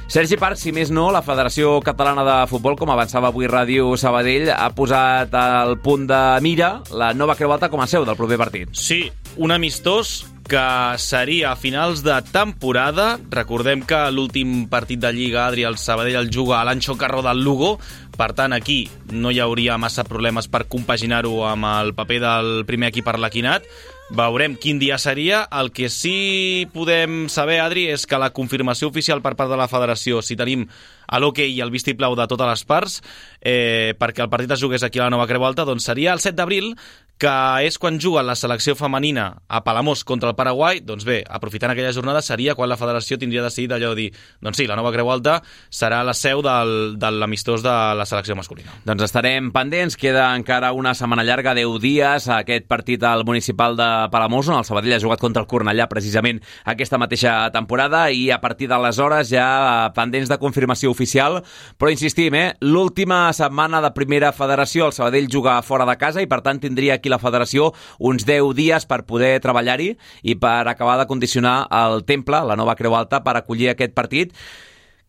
Sergi Parc, si més no, la Federació Catalana de Futbol, com avançava avui Ràdio Sabadell, ha posat al punt de mira la nova Creu Alta com a seu del proper partit. Sí, un amistós que seria a finals de temporada. Recordem que l'últim partit de Lliga, Adri, el Sabadell el juga a l'Anxo Carro del Lugo. Per tant, aquí no hi hauria massa problemes per compaginar-ho amb el paper del primer equip arlequinat. Veurem quin dia seria. El que sí podem saber, Adri, és que la confirmació oficial per part de la federació, si tenim l'hoquei i el vistiplau de totes les parts, eh, perquè el partit es jugués aquí a la Nova Creu Alta, doncs seria el set d'abril, que és quan juga la selecció femenina a Palamós contra el Paraguai. Doncs bé, aprofitant aquella jornada seria quan la federació tindria decidit allò de dir, doncs sí, la Nova Creu Alta serà la seu del, de l'amistós de la selecció masculina. Doncs estarem pendents, queda encara una setmana llarga, deu dies, aquest partit al municipal de Palamós, on el Sabadell ha jugat contra el Cornellà precisament aquesta mateixa temporada, i a partir d'aleshores ja pendents de confirmació oficial, però insistim, eh, l'última setmana de primera federació el Sabadell juga fora de casa i per tant tindria aquí la federació uns deu dies per poder treballar-hi i per acabar de condicionar el temple, la Nova Creu Alta, per acollir aquest partit,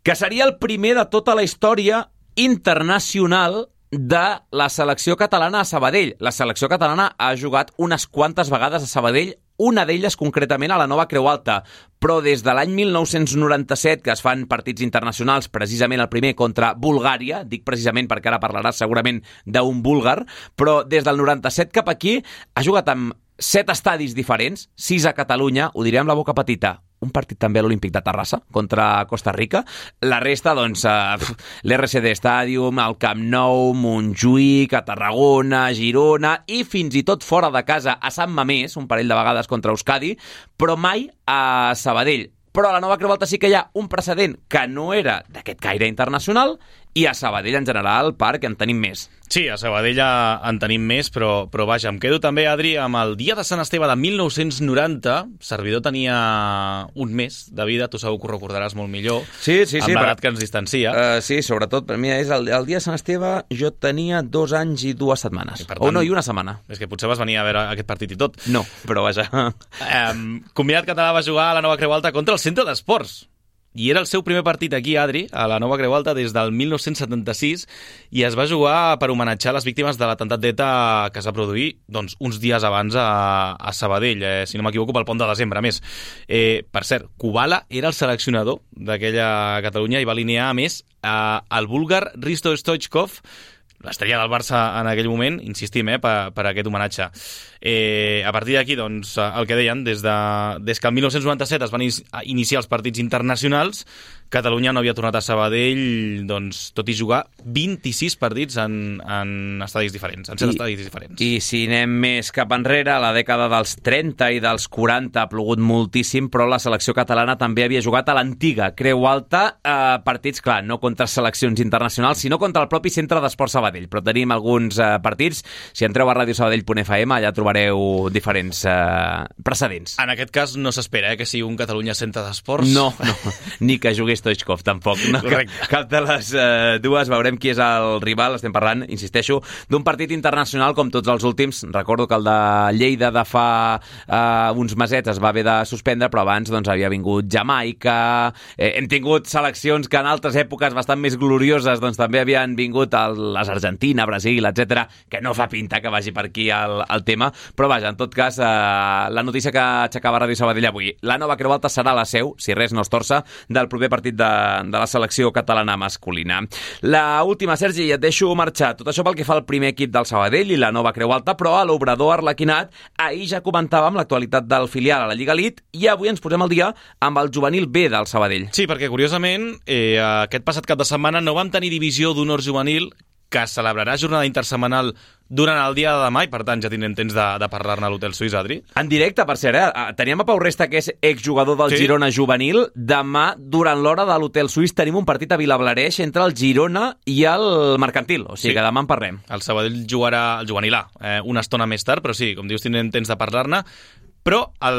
que seria el primer de tota la història internacional de la selecció catalana a Sabadell. La selecció catalana ha jugat unes quantes vegades a Sabadell, una d'elles concretament a la Nova Creu Alta, però des de l'any mil nou-cents noranta-set que es fan partits internacionals, precisament el primer contra Bulgària, dic precisament perquè ara parlaràs segurament d'un búlgar, però des del noranta-set cap aquí ha jugat amb set estadis diferents, sis a Catalunya, ho diré amb la boca petita, un partit també a l'Olímpic de Terrassa contra Costa Rica. La resta, doncs, eh, l'R C D Stadium, el Camp Nou, Montjuïc, a Tarragona, Girona i fins i tot fora de casa a Sant Mamés, un parell de vegades contra Euskadi, però mai a Sabadell. Però a la Nova Creu Alta sí que hi ha un precedent que no era d'aquest caire internacional, i a Sabadell en general, Parc, en tenim més. Sí, a Sabadell en tenim més, però, però vaja, em quedo també, Adri, amb el dia de Sant Esteve de mil nou-cents noranta. Servidor tenia un mes de vida, tu segur que ho recordaràs molt millor, sí, sí, amb sí, l'edat però, que ens distancia. Uh, sí, sobretot, per mi és el, el dia de Sant Esteve, jo tenia dos anys i dues setmanes. I tant, o no, i una setmana. És que potser vas venir a veure aquest partit i tot. No, però vaja. Um, Combinat Català va jugar a la Nova Creu Alta contra el Centre d'Esports. I era el seu primer partit aquí, Adri, a la Nova Creu Alta des del mil nou-cents setanta-sis, i es va jugar per homenatjar les víctimes de l'atemptat d'ETA que es va produir doncs, uns dies abans a, a Sabadell, eh, si no m'equivoco, pel pont de desembre, a més. Eh, per cert, Kubala era el seleccionador d'aquella Catalunya i va alinear, a més, eh, el búlgar Risto Stoichkov, l'estrella del Barça en aquell moment, insistim, eh, per, per aquest homenatge. Eh, a partir d'aquí, doncs, el que deien, des, de, des que el mil nou-cents noranta-set es van iniciar els partits internacionals, Catalunya no havia tornat a Sabadell, doncs, tot i jugar vint-i-sis partits en, en estadis diferents, en set I, estadis diferents. I si anem més cap enrere, a la dècada dels trenta i dels quaranta ha plogut moltíssim, però la selecció catalana també havia jugat a l'antiga Creu Alta, eh, partits, clar, no contra seleccions internacionals, sinó contra el propi Centre d'Esport Sabadell. Però tenim alguns eh, partits. Si entreu a radio sabadell punt f m, allà trobareu diferents eh, precedents. En aquest cas no s'espera eh, que sigui un Catalunya Centre d'Esports. No, no, ni que jugués Stoichkov, tampoc. No? Cap, cap de les eh, dues. Veurem qui és el rival. Estem parlant, insisteixo, d'un partit internacional com tots els últims. Recordo que el de Lleida de fa eh, uns mesets es va haver de suspendre, però abans doncs, havia vingut Jamaica. Eh, hem tingut seleccions que en altres èpoques bastant més glorioses doncs, també havien vingut el, les Argentina, Brasil, etcètera, que no fa pinta que vagi per aquí el, el tema. Però vaja, en tot cas, eh, la notícia que aixecava Ràdio Sabadell avui. La Nova Creu Alta serà la seu, si res no es torça, del proper partit de, de la selecció catalana masculina. La última, Sergi, i et deixo marxar. Tot això pel que fa al primer equip del Sabadell i la Nova Creu Alta, però a l'Obrador Arlequinat ahir ja comentàvem l'actualitat del filial a la Lliga Elite i avui ens posem al dia amb el juvenil B del Sabadell. Sí, perquè curiosament eh, aquest passat cap de setmana no vam tenir divisió d'honor juvenil, que celebrarà jornada intersetmanal durant el dia de demà i, per tant, ja tindrem temps de, de parlar-ne a l'Hotel Suís, Adri. En directe, per cert, eh? Teníem a Pau Resta, que és exjugador del sí. Girona juvenil. Demà, durant l'hora de l'Hotel Suís, tenim un partit a Vilablareix entre el Girona i el Mercantil. O sigui sí. que demà en parlem. El Sabadell jugarà el juvenil A eh, una estona més tard, però sí, com dius, tindrem temps de parlar-ne. Però el,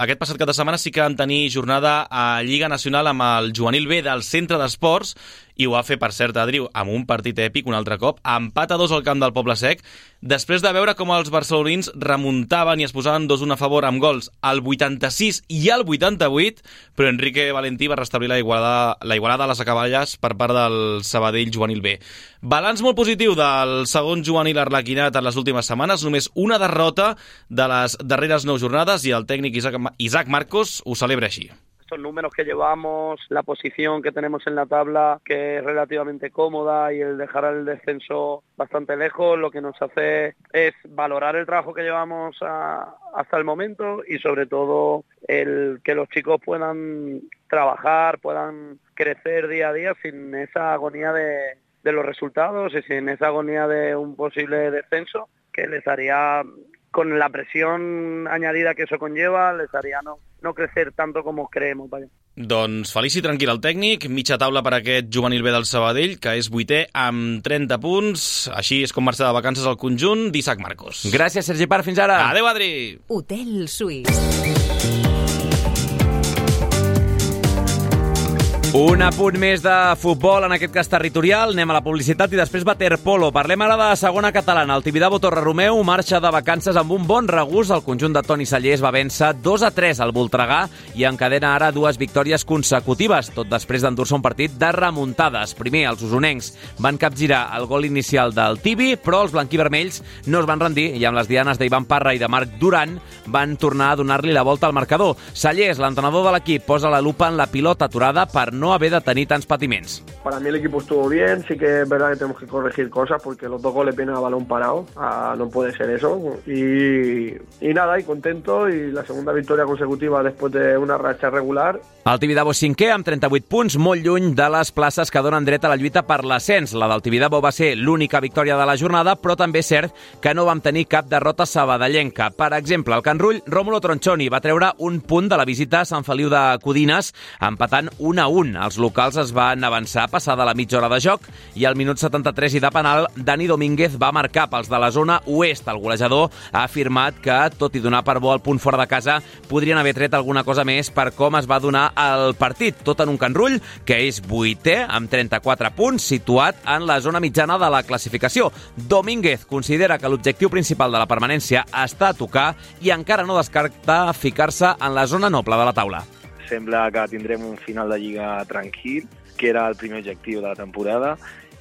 aquest passat cap de setmana sí que vam tenir jornada a Lliga Nacional amb el juvenil B del Centre d'Esports i ho va fer, per cert, Adri, amb un partit èpic un altre cop, empat a dos al camp del Poble Sec, després de veure com els barcelonins remuntaven i es posaven dos un a favor amb gols al vuitanta-sis i al vuitanta-vuit, però Enrique Valentí va restablir la igualada, la igualada a les acaballes per part del Sabadell juvenil B. Balanç molt positiu del segon juvenil arlequinat en les últimes setmanes, només una derrota de les darreres nou jornades i el tècnic Isaac, Isaac Marcos ho celebra així. Estos números que llevamos, la posición que tenemos en la tabla, que es relativamente cómoda, y el dejar el descenso bastante lejos, lo que nos hace es valorar el trabajo que llevamos a, hasta el momento y sobre todo el que los chicos puedan trabajar, puedan crecer día a día sin esa agonía de, de los resultados y sin esa agonía de un posible descenso que les haría, con la presión añadida que eso conlleva, les haría no, no crecer tanto como creemos. Vaya. Doncs feliç i tranquil el tècnic, mitja taula per aquest juvenil B del Sabadell, que és vuitè amb trenta punts. Així és com marxa de vacances al conjunt d'Isaac Marcos. Gràcies, Sergi Parr, fins ara. Adéu, Adri. Hotel Suís. Un apunt més de futbol, en aquest cas territorial. Anem a la publicitat i després waterpolo. Parlem ara de segona catalana. El Tibidabo Torre Romeu marxa de vacances amb un bon regust. El conjunt de Toni Sallés va vèncer dos a tres al Voltregà i encadena ara dues victòries consecutives, tot després d'endur-se un partit de remuntades. Primer, els usonencs van capgirar el gol inicial del Tibi, però els blanquivermells no es van rendir i amb les dianes d'Ivan Parra i de Marc Duran van tornar a donar-li la volta al marcador. Sallés, l'entrenador de l'equip, posa la lupa en la pilota aturada per no haver de tenir tants patiments. Para mí el equipo estuvo bien, sí que es verdad que tenemos que corregir cosas porque los dos goles vienen a balón parado, ah, no puede ser eso. Y, y nada, y contento, y la segunda victoria consecutiva después de una racha regular. El Tibidabo cinquè amb trenta-vuit punts, molt lluny de les places que donen dret a la lluita per l'ascens. La del Tibidabo va ser l'única victòria de la jornada, però també és cert que no vam tenir cap derrota sabadellenca. Per exemple, el Can Rull, Rómulo Tronchoni va treure un punt de la visita a Sant Feliu de Codines, empatant un a un. Els locals es van avançar passada la mitja hora de joc i al minut setanta-tres i de penal, Dani Domínguez va marcar pels de la zona oest. El golejador ha afirmat que, tot i donar per bo el punt fora de casa, podrien haver tret alguna cosa més per com es va donar el partit. Tot en un Can Rull, que és vuitè amb trenta-quatre punts, situat en la zona mitjana de la classificació. Domínguez considera que l'objectiu principal de la permanència està a tocar i encara no descarta ficar-se en la zona noble de la taula. Sembla que tindrem un final de Lliga tranquil, que era el primer objectiu de la temporada,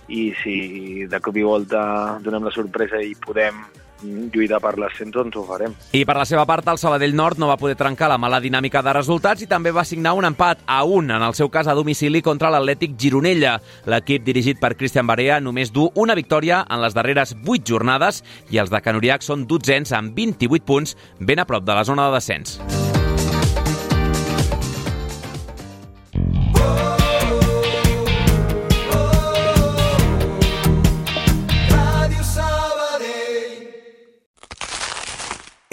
i si de cop i volta donem la sorpresa i podem lluitar per l'ascens, doncs ho farem. I per la seva part, el Sabadell Nord no va poder trencar la mala dinàmica de resultats i també va signar un empat a un, en el seu cas a domicili, contra l'Atlètic Gironella. L'equip dirigit per Cristian Barea només du una victòria en les darreres vuit jornades i els de Can Uriach són dotzens amb vint-i-vuit punts, ben a prop de la zona de descens.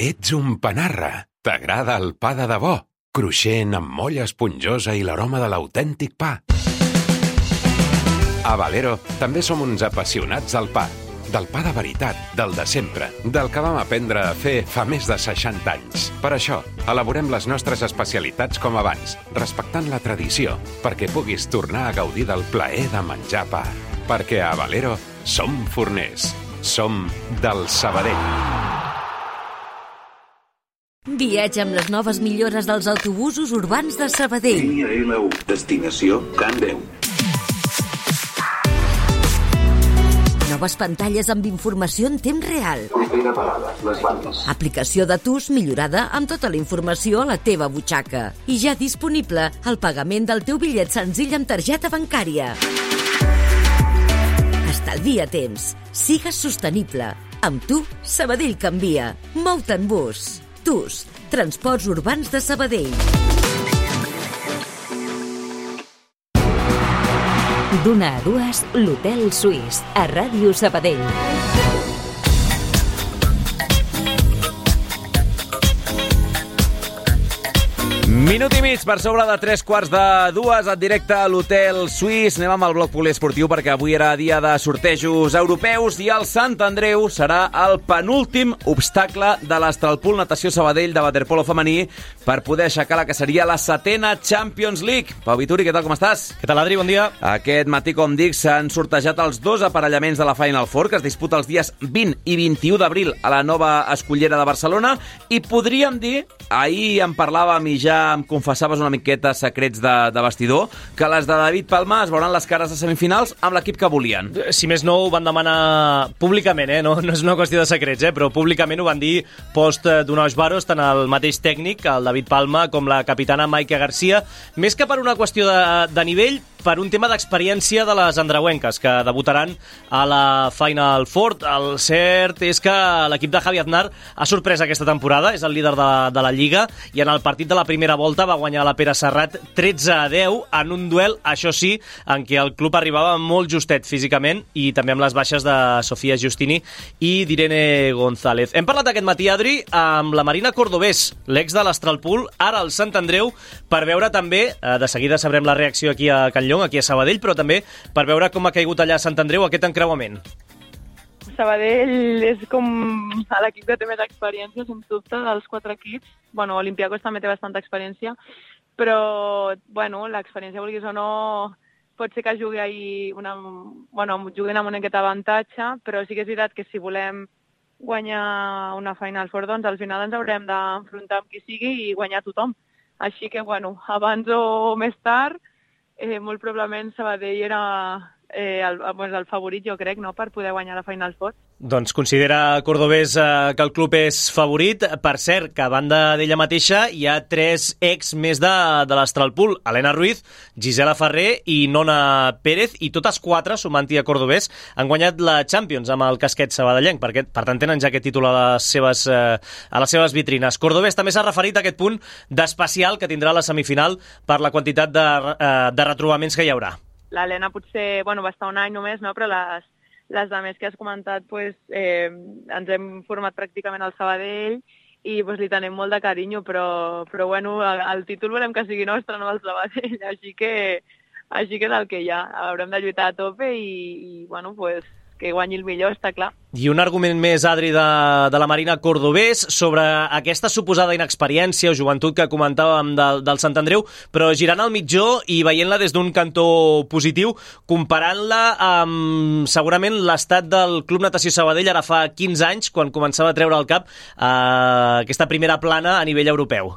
Ets un panarra. T'agrada el pa de debò? Cruixent, amb molla esponjosa i l'aroma de l'autèntic pa. A Valero també som uns apassionats del pa. Del pa de veritat, del de sempre, del que vam aprendre a fer fa més de seixanta anys. Per això, elaborem les nostres especialitats com abans, respectant la tradició, perquè puguis tornar a gaudir del plaer de menjar pa. Perquè a Valero som forners. Som del Sabadell. Viatge amb les noves millores dels autobusos urbans de Sabadell. Línia L u, destinació Can Déu. Noves pantalles amb informació en temps real. Propera parada, les bandes. Aplicació de T U S millorada amb tota la informació a la teva butxaca. I ja disponible el pagament del teu bitllet senzill amb targeta bancària. Estalvia temps. Sigues sostenible. Amb tu, Sabadell canvia. Mou-te en bus. T U S, Transports Urbans de Sabadell. D'una a dues, l'Hotel Suís, a Ràdio Sabadell. Minut i mig per sobre de tres quarts de dues, en directe a l'Hotel Suís. Anem amb el bloc poliesportiu perquè avui era dia de sortejos europeus i el Sant Andreu serà el penúltim obstacle de l'Astralpool Natació Sabadell de waterpolo femení per poder aixecar la que seria la setena Champions League. Pau Vituri, què tal, com estàs? Què tal, Adri? Bon dia. Aquest matí, com dic, s'han sortejat els dos aparellaments de la Final Four, que es disputa els dies vint i vint-i-u d'abril a la nova Escullera de Barcelona, i podríem dir, ahir en parlàvem i ja em confessaves una miqueta secrets de, de vestidor, que les de David Palma es veuran les cares de semifinals amb l'equip que volien. Si més no, ho van demanar públicament, eh? no, no és una qüestió de secrets, eh? però públicament ho van dir post d'Unos Varos, tant el mateix tècnic, el David Palma, com la capitana Maika Garcia, més que per una qüestió de, de nivell, per un tema d'experiència de les andreuenques, que debutaran a la Final Four. El cert és que l'equip de Javi Aznar ha sorprès aquesta temporada, és el líder de, de la Lliga, i en el partit de la primera volta va guanyar la Pere Serrat tretze a deu en un duel, això sí, en què el club arribava molt justet físicament i també amb les baixes de Sofia Giustini i d'Irene González. Hem parlat aquest matí, Adri, amb la Marina Cordobés, l'ex de l'Astralpool, ara al Sant Andreu, per veure també, de seguida sabrem la reacció aquí a Can Llong, aquí a Sabadell, però també per veure com ha caigut allà a Sant Andreu aquest encreuament. Sabadell és com l'equip que té més experiència, sens dubte, dels quatre equips. Bueno, Olympiacos també té bastanta experiència, però, bueno, l'experiència, vulguis o no, pot ser que jugui ahir una, bueno, juguin amb una miqueta avantatge, però sí que és veritat que si volem guanyar una Final Four, doncs al final ens haurem d'enfrontar amb qui sigui i guanyar tothom. Així que, bueno, abans o més tard, eh, molt probablement Sabadell era eh, el, el favorit, jo crec, no?, per poder guanyar la Final Four. Doncs considera Cordobés eh, que el club és favorit. Per cert, que a banda d'ella mateixa hi ha tres ex més de, de l'Astralpool: Helena Ruiz, Gisela Ferrer i Nona Pérez, i totes quatre, sumant-hi a Cordobés, han guanyat la Champions amb el casquet sabadellenc, perquè per tant tenen ja aquest títol a les seves, eh, a les seves vitrines. Cordobés també s'ha referit a aquest punt d'especial que tindrà la semifinal per la quantitat de, eh, de retrobaments que hi haurà. L'Helena potser, bueno, va estar un any només, no?, però les Les altres que has comentat, pues, eh, ens hem format pràcticament al Sabadell i pues, li tenim molt de carinyo, però, però bueno, el, el títol volem que sigui nostre, no el Sabadell, així que, així que és el que hi ha. Haurem de lluitar a tope i, i bueno, pues, que guanyi el millor, està clar. I un argument més, Adri, de, de la Marina Cordobés sobre aquesta suposada inexperiència o joventut que comentàvem del, del Sant Andreu, però girant al mitjó i veient-la des d'un cantó positiu, comparant-la amb segurament l'estat del Club Natació Sabadell ara fa quinze anys, quan començava a treure al cap eh, aquesta primera plana a nivell europeu.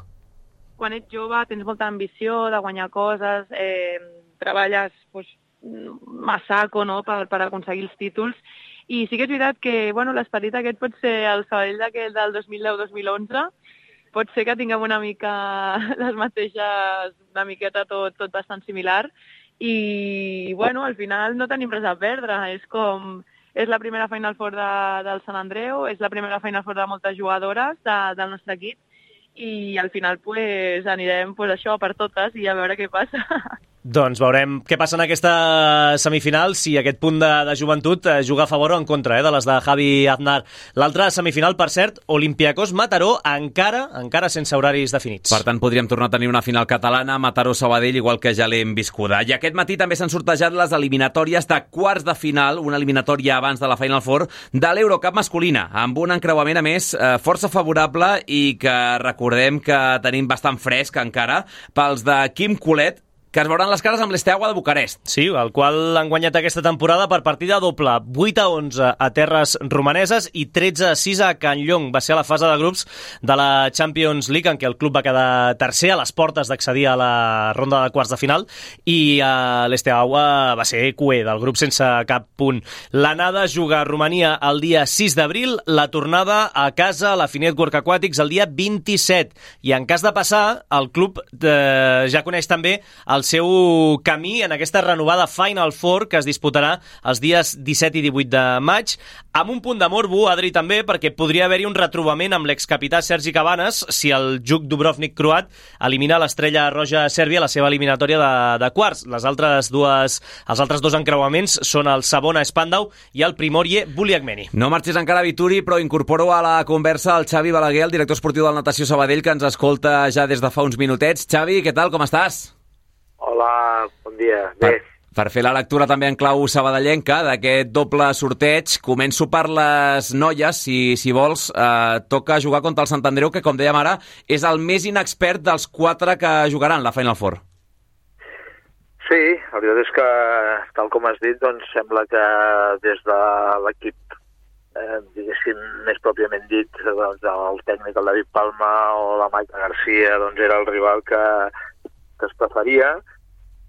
Quan ets jove tens molta ambició de guanyar coses, eh, treballes pues, massaco, no?, per, per aconseguir els títols, i sí que és veritat que bueno, l'esperit aquest pot ser el Sabadell d'aquell del dos mil deu dos mil onze, pot ser que tinguem una mica les mateixes, una miqueta tot, tot bastant similar, i bueno, al final no tenim res a perdre, és com, és la primera Final Four de, del Sant Andreu, és la primera Final Four de moltes jugadores de, del nostre equip, i al final pues, anirem pues, això per totes i a veure què passa. Doncs veurem què passa en aquesta semifinal, si aquest punt de, de joventut eh, juga a favor o en contra eh, de les de Javi Aznar. L'altra semifinal, per cert, Olympiacos Mataró, encara encara sense horaris definits. Per tant, podríem tornar a tenir una final catalana, Mataró-Sabadell, igual que ja l'hem viscuda. I aquest matí també s'han sortejat les eliminatòries de quarts de final, una eliminatòria abans de la Final Four, de l'Eurocup masculina, amb un encreuament, a més, eh, força favorable i que recordem que tenim bastant fresc encara, pels de Quim Colet, que es veuran les cares amb l'Esteaua de Bucarest. Sí, el qual han guanyat aquesta temporada per partida doble, vuit a onze a terres romaneses i tretze a sis a Can Llong. Va ser a la fase de grups de la Champions League, en què el club va quedar tercer a les portes d'accedir a la ronda de quarts de final, i uh, l'Esteaua va ser cué del grup sense cap punt. L'anada juga a Romania el dia sis d'abril, la tornada a casa a la Finet Work Aquatics el dia vint-i-set, i en cas de passar, el club eh, ja coneix també el el seu camí en aquesta renovada Final Four que es disputarà els dies disset i divuit de maig, amb un punt de morbo, Adri, també, perquè podria haver-hi un retrobament amb l'excapità Sergi Cabanes si el Juk Dubrovnik croat elimina l'Estrella Roja a Sèrbia a la seva eliminatòria de, de quarts. Les altres dues, els altres dos encreuaments són el Savona Spandau i el Primorje Buliagmeni. No marxis encara, Vituri, però incorporo a la conversa el Xavi Balaguer, el director esportiu del Natació Sabadell, que ens escolta ja des de fa uns minutets. Xavi, què tal, com estàs? Hola, bon dia. Bé. Per, per fer la lectura també en clau sabadellenca d'aquest doble sorteig, començo per les noies, si, si vols. Eh, toca jugar contra el Sant Andreu, que, com dèiem ara, és el més inexpert dels quatre que jugaran la Final Four. Sí, la veritat és que, tal com has dit, doncs sembla que des de l'equip, eh, diguéssim, més pròpiament dit, doncs, el tècnic, el David Palma o la Maica Garcia, doncs era el rival que, que es preferia,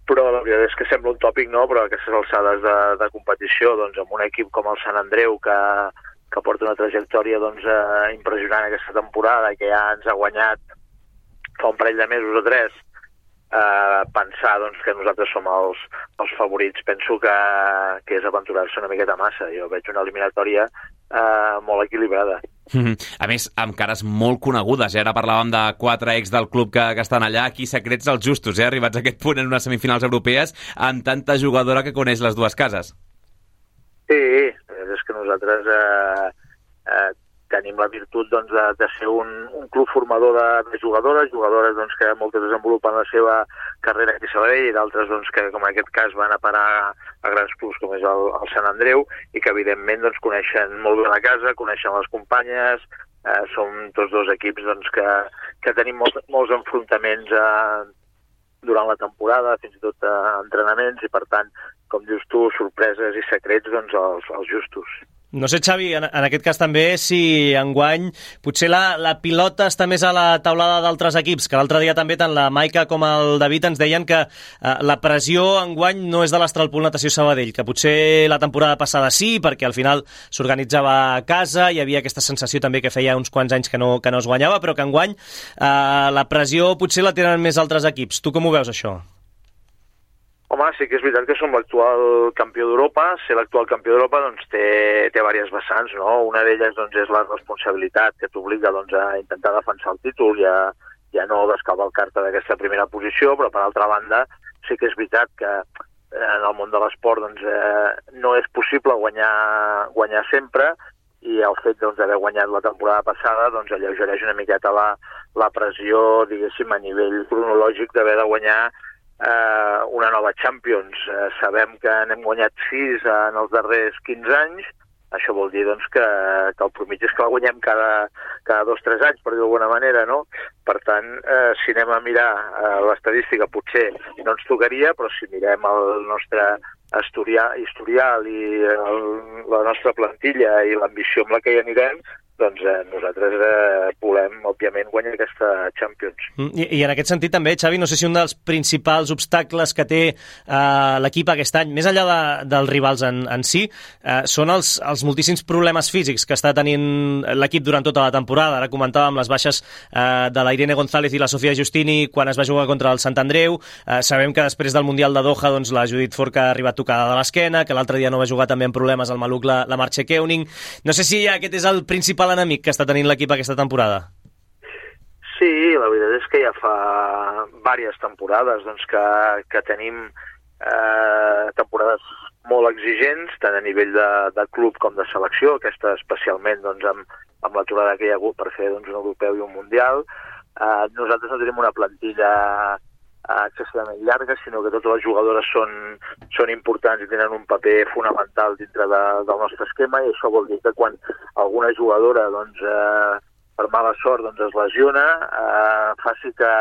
però la veritat és que sembla un tòpic, no? Però aquestes alçades de, de competició, doncs amb un equip com el Sant Andreu, que, que porta una trajectòria doncs, eh, impressionant aquesta temporada, que ja ens ha guanyat fa un parell de mesos o tres, eh, pensar doncs, que nosaltres som els, els favorits, penso que, que és aventurar-se una miqueta massa. Jo veig una eliminatòria eh, molt equilibrada. A més, amb cares molt conegudes, eh? Ara parlàvem de quatre ex del club que, que estan allà, aquí secrets els justos, eh? Arribats a aquest punt en unes semifinals europees, amb tanta jugadora que coneix les dues cases. Sí, és que nosaltres eh, eh, tenim la virtut doncs, de, de ser un, un club formador de, de jugadores, jugadores doncs, que moltes desenvolupen la seva carrera aquí a Sabadell i d'altres doncs, que, com en aquest cas, van a parar a grans clubs com és el, el Sant Andreu i que, evidentment, doncs, coneixen molt bé la casa, coneixen les companyes, eh, som tots dos equips doncs, que, que tenim molts, molts enfrontaments eh, durant la temporada, fins i tot eh, entrenaments, i, per tant, com dius tu, sorpreses i secrets, doncs, els, els justos. No sé, Xavi, en, en aquest cas també, si enguany potser la, la pilota està més a la taulada d'altres equips, que l'altre dia també tant la Maica com el David ens deien que eh, la pressió enguany no és de l'Astralpool Natació Sabadell, que potser la temporada passada sí, perquè al final s'organitzava a casa, hi havia aquesta sensació també que feia uns quants anys que no, que no es guanyava, però que enguany eh, la pressió potser la tenen més altres equips. Tu com ho veus, això? Home, sí que és veritat que som l'actual campió d'Europa. Ser l'actual campió d'Europa doncs, té, té diverses vessants, no? Una d'elles doncs, és la responsabilitat que t'obliga doncs, a intentar defensar el títol i a, i a no descavalcar-te d'aquesta primera posició, però per altra banda sí que és veritat que en el món de l'esport doncs, eh, no és possible guanyar, guanyar sempre, i el fet doncs, d'haver guanyat la temporada passada doncs, alleugereix una miqueta la, la pressió, diguéssim, a nivell cronològic d'haver de guanyar Eh, una nova Champions. Eh, sabem que n'hem guanyat sis en els darrers quinze anys. Això vol dir doncs, que, que el promig és que la guanyem cada, cada dos o tres anys, per dir d'alguna manera, no? Per tant, eh, si anem a mirar eh, l'estadística, potser no ens tocaria, però si mirem el nostre historial, historial i el, la nostra plantilla i l'ambició amb la que hi anirem, doncs eh, nosaltres eh, volem, òbviament, guanyar aquesta Champions. I, I en aquest sentit també, Xavi, no sé si un dels principals obstacles que té eh, l'equip aquest any, més enllà de, dels rivals en, en si, eh, són els, els moltíssims problemes físics que està tenint l'equip durant tota la temporada. Ara comentàvem les baixes eh, de la Irene González i la Sofia Giustini quan es va jugar contra el Sant Andreu. Eh, sabem que després del Mundial de Doha doncs, la Judit Forca ha arribat tocada de l'esquena, que l'altre dia no va jugar també amb problemes al maluc la, la Marche Keuning. No sé si aquest és el principal enemic que està tenint l'equip aquesta temporada. Sí, la veritat és que ja fa diverses temporades doncs, que, que tenim eh, temporades molt exigents, tant a nivell de, de club com de selecció, aquesta especialment doncs, amb, amb l'aturada que hi ha hagut per fer doncs, un europeu i un mundial. Eh, nosaltres no tenim una plantilla excessivament llarga, sinó que totes les jugadores són, són importants i tenen un paper fonamental dintre de, del nostre esquema, i això vol dir que quan alguna jugadora doncs, eh, per mala sort doncs, es lesiona, eh, faci que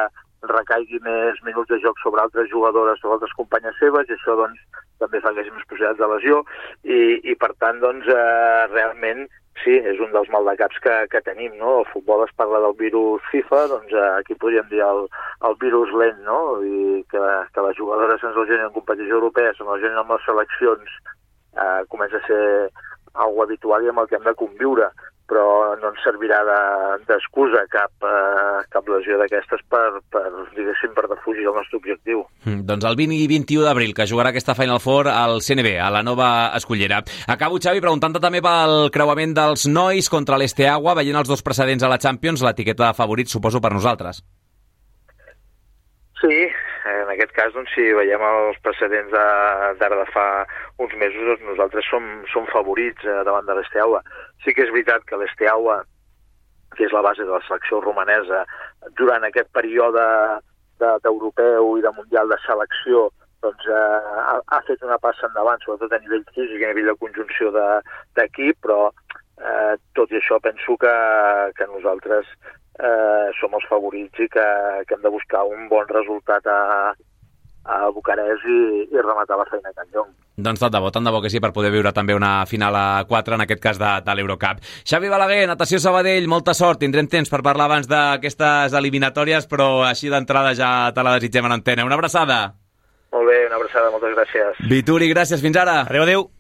recaigui més minuts de joc sobre altres jugadores o altres companyes seves, i això doncs, també fa que hi hagi més possibilitats de lesió, i, i per tant doncs, eh, realment sí, és un dels maldecaps que, que tenim, no? El futbol es parla del virus FIFA, doncs aquí podríem dir el, el virus lent, no? I que, que les jugadores se'ns lesionin en competició europea, se'ns lesionin amb les seleccions, eh, comença a ser algo habitual i amb el que hem de conviure. però no ens servirà d'excusa de, cap, eh, cap lesió d'aquestes per, per, diguéssim, per defugir el nostre objectiu. Mm, doncs el vint i vint-i-u d'abril, que jugarà aquesta Final Four al C N B, a la nova escollera. Acabo, Xavi, preguntant-te també pel creuament dels nois contra l'Esteaua, veient els dos precedents a la Champions, l'etiqueta de favorit, suposo, per nosaltres. Sí, en aquest cas, doncs, si veiem els precedents d'ara de fa uns mesos, doncs nosaltres som, som favorits eh, davant de l'Esteaua. Sí que és veritat que l'Esteaua, que és la base de la selecció romanesa, durant aquest període d'europeu i de mundial de selecció, doncs eh, ha, ha fet una passa endavant, sobretot a nivell físic i a nivell de conjunció d'equip, però eh, tot i això penso que, que nosaltres Eh, som els favorits i que, que hem de buscar un bon resultat a, a Bucarest i, i rematar la feina a Can Llong. Doncs tant de bo, tant de bo que sí, per poder viure també una final a quatre, en aquest cas de, de l'Eurocup. Xavi Balaguer, Natació Sabadell, molta sort, tindrem temps per parlar abans d'aquestes eliminatòries, però així d'entrada ja te la desitgem en antena. Una abraçada. Molt bé, una abraçada, moltes gràcies. Vituri, gràcies, fins ara. Adéu, adéu.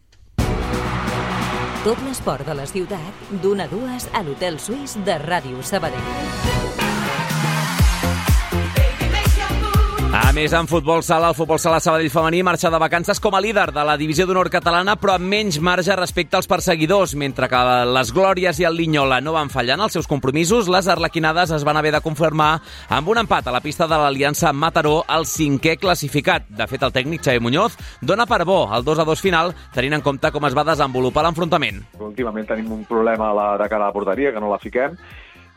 Tot l'esport de la ciutat, d'una a dues a l'Hotel Suís de Ràdio Sabadell. A més, en futbol sala, el futbol sala Sabadell femení marxa de vacances com a líder de la divisió d'honor catalana, però amb menys marge respecte als perseguidors. Mentre que les Glòries i el Linyola no van fallar en els seus compromisos, les arlequinades es van haver de confirmar amb un empat a la pista de l'Aliança Mataró, el cinquè classificat. De fet, el tècnic Xavi Muñoz dona per bo el dos a dos final, tenint en compte com es va desenvolupar l'enfrontament. Últimament tenim un problema a la, de cara a la porteria, que no la fiquem,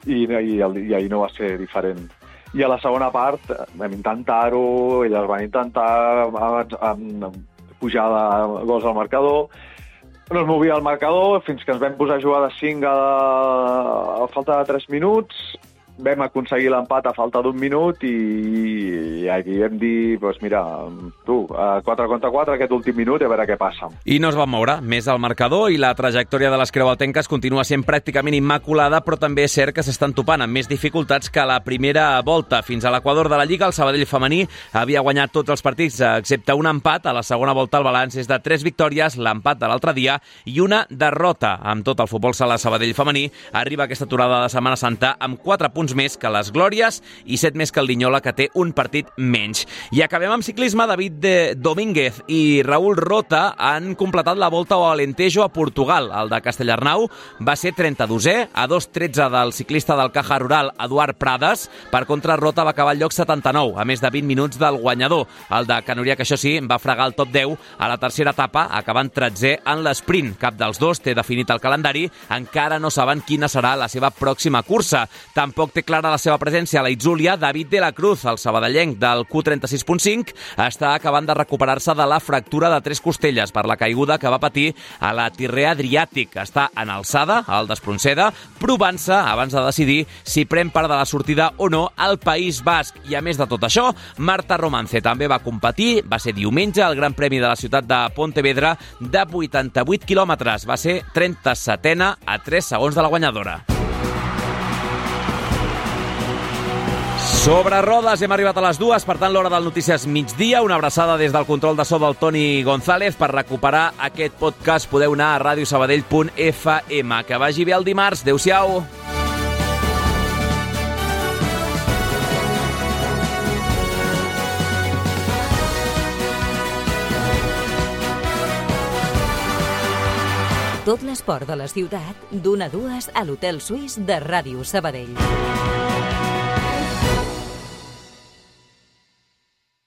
i, i, i ahir no va ser diferent. I a la segona part vam intentar-ho, elles van intentar pujar de gols al marcador, no es movia el marcador fins que ens vam posar a jugar de cinc a, a falta de tres minuts, vam aconseguir l'empat a falta d'un minut i, i aquí vam dir, doncs mira, tu, quatre contra quatre aquest últim minut i a veure què passa. I no es van moure més al marcador i la trajectòria de les creualtenques continua sent pràcticament immaculada, però també és cert que s'estan topant amb més dificultats que a la primera volta. Fins a l'equador de la Lliga, el Sabadell femení havia guanyat tots els partits, excepte un empat. A la segona volta el balanç és de tres victòries, l'empat de l'altre dia i una derrota. Amb tot el futbol sala Sabadell femení arriba aquesta aturada de Setmana Santa amb quatre punts més que les Glòries i set més que el Linyola, que té un partit menys. I acabem amb ciclisme. David de Domínguez i Raúl Rota han completat la Volta ao Alentejo a Portugal. El de Castellarnau va ser trenta-dosè, a dos tretze del ciclista del Caja Rural, Eduard Prades. Per contra, Rota va acabar al lloc setanta-nou, a més de vint minuts del guanyador. El de Canurià, que això sí, va fregar el top deu a la tercera etapa, acabant tretzè en l'esprint. Cap dels dos té definit el calendari, encara no saben quina serà la seva pròxima cursa. Tampoc té clara la seva presència a la Itzúlia. David de la Cruz, el sabadellenc del Q trenta-sis punt cinc, està acabant de recuperar-se de la fractura de tres costelles per la caiguda que va patir a la Tirrea Adriàtic. Està en alçada, al d'Espronceda, provant-se abans de decidir si pren part de la sortida o no al País Basc. I a més de tot això, Marta Romance també va competir, va ser diumenge al Gran Premi de la ciutat de Pontevedra de vuitanta-vuit quilòmetres. Va ser trenta-setena a tres segons de la guanyadora. Sobre rodes hem arribat a les dues, per tant l'hora del Notícies Migdia. Una abraçada des del control de so del Toni González. Per recuperar aquest podcast podeu anar a radio sabadell punt f m. Que vagi bé el dimarts. Adéu-siau. Tot l'esport de la ciutat, d'una a dues a l'Hotel Suís de Ràdio Sabadell.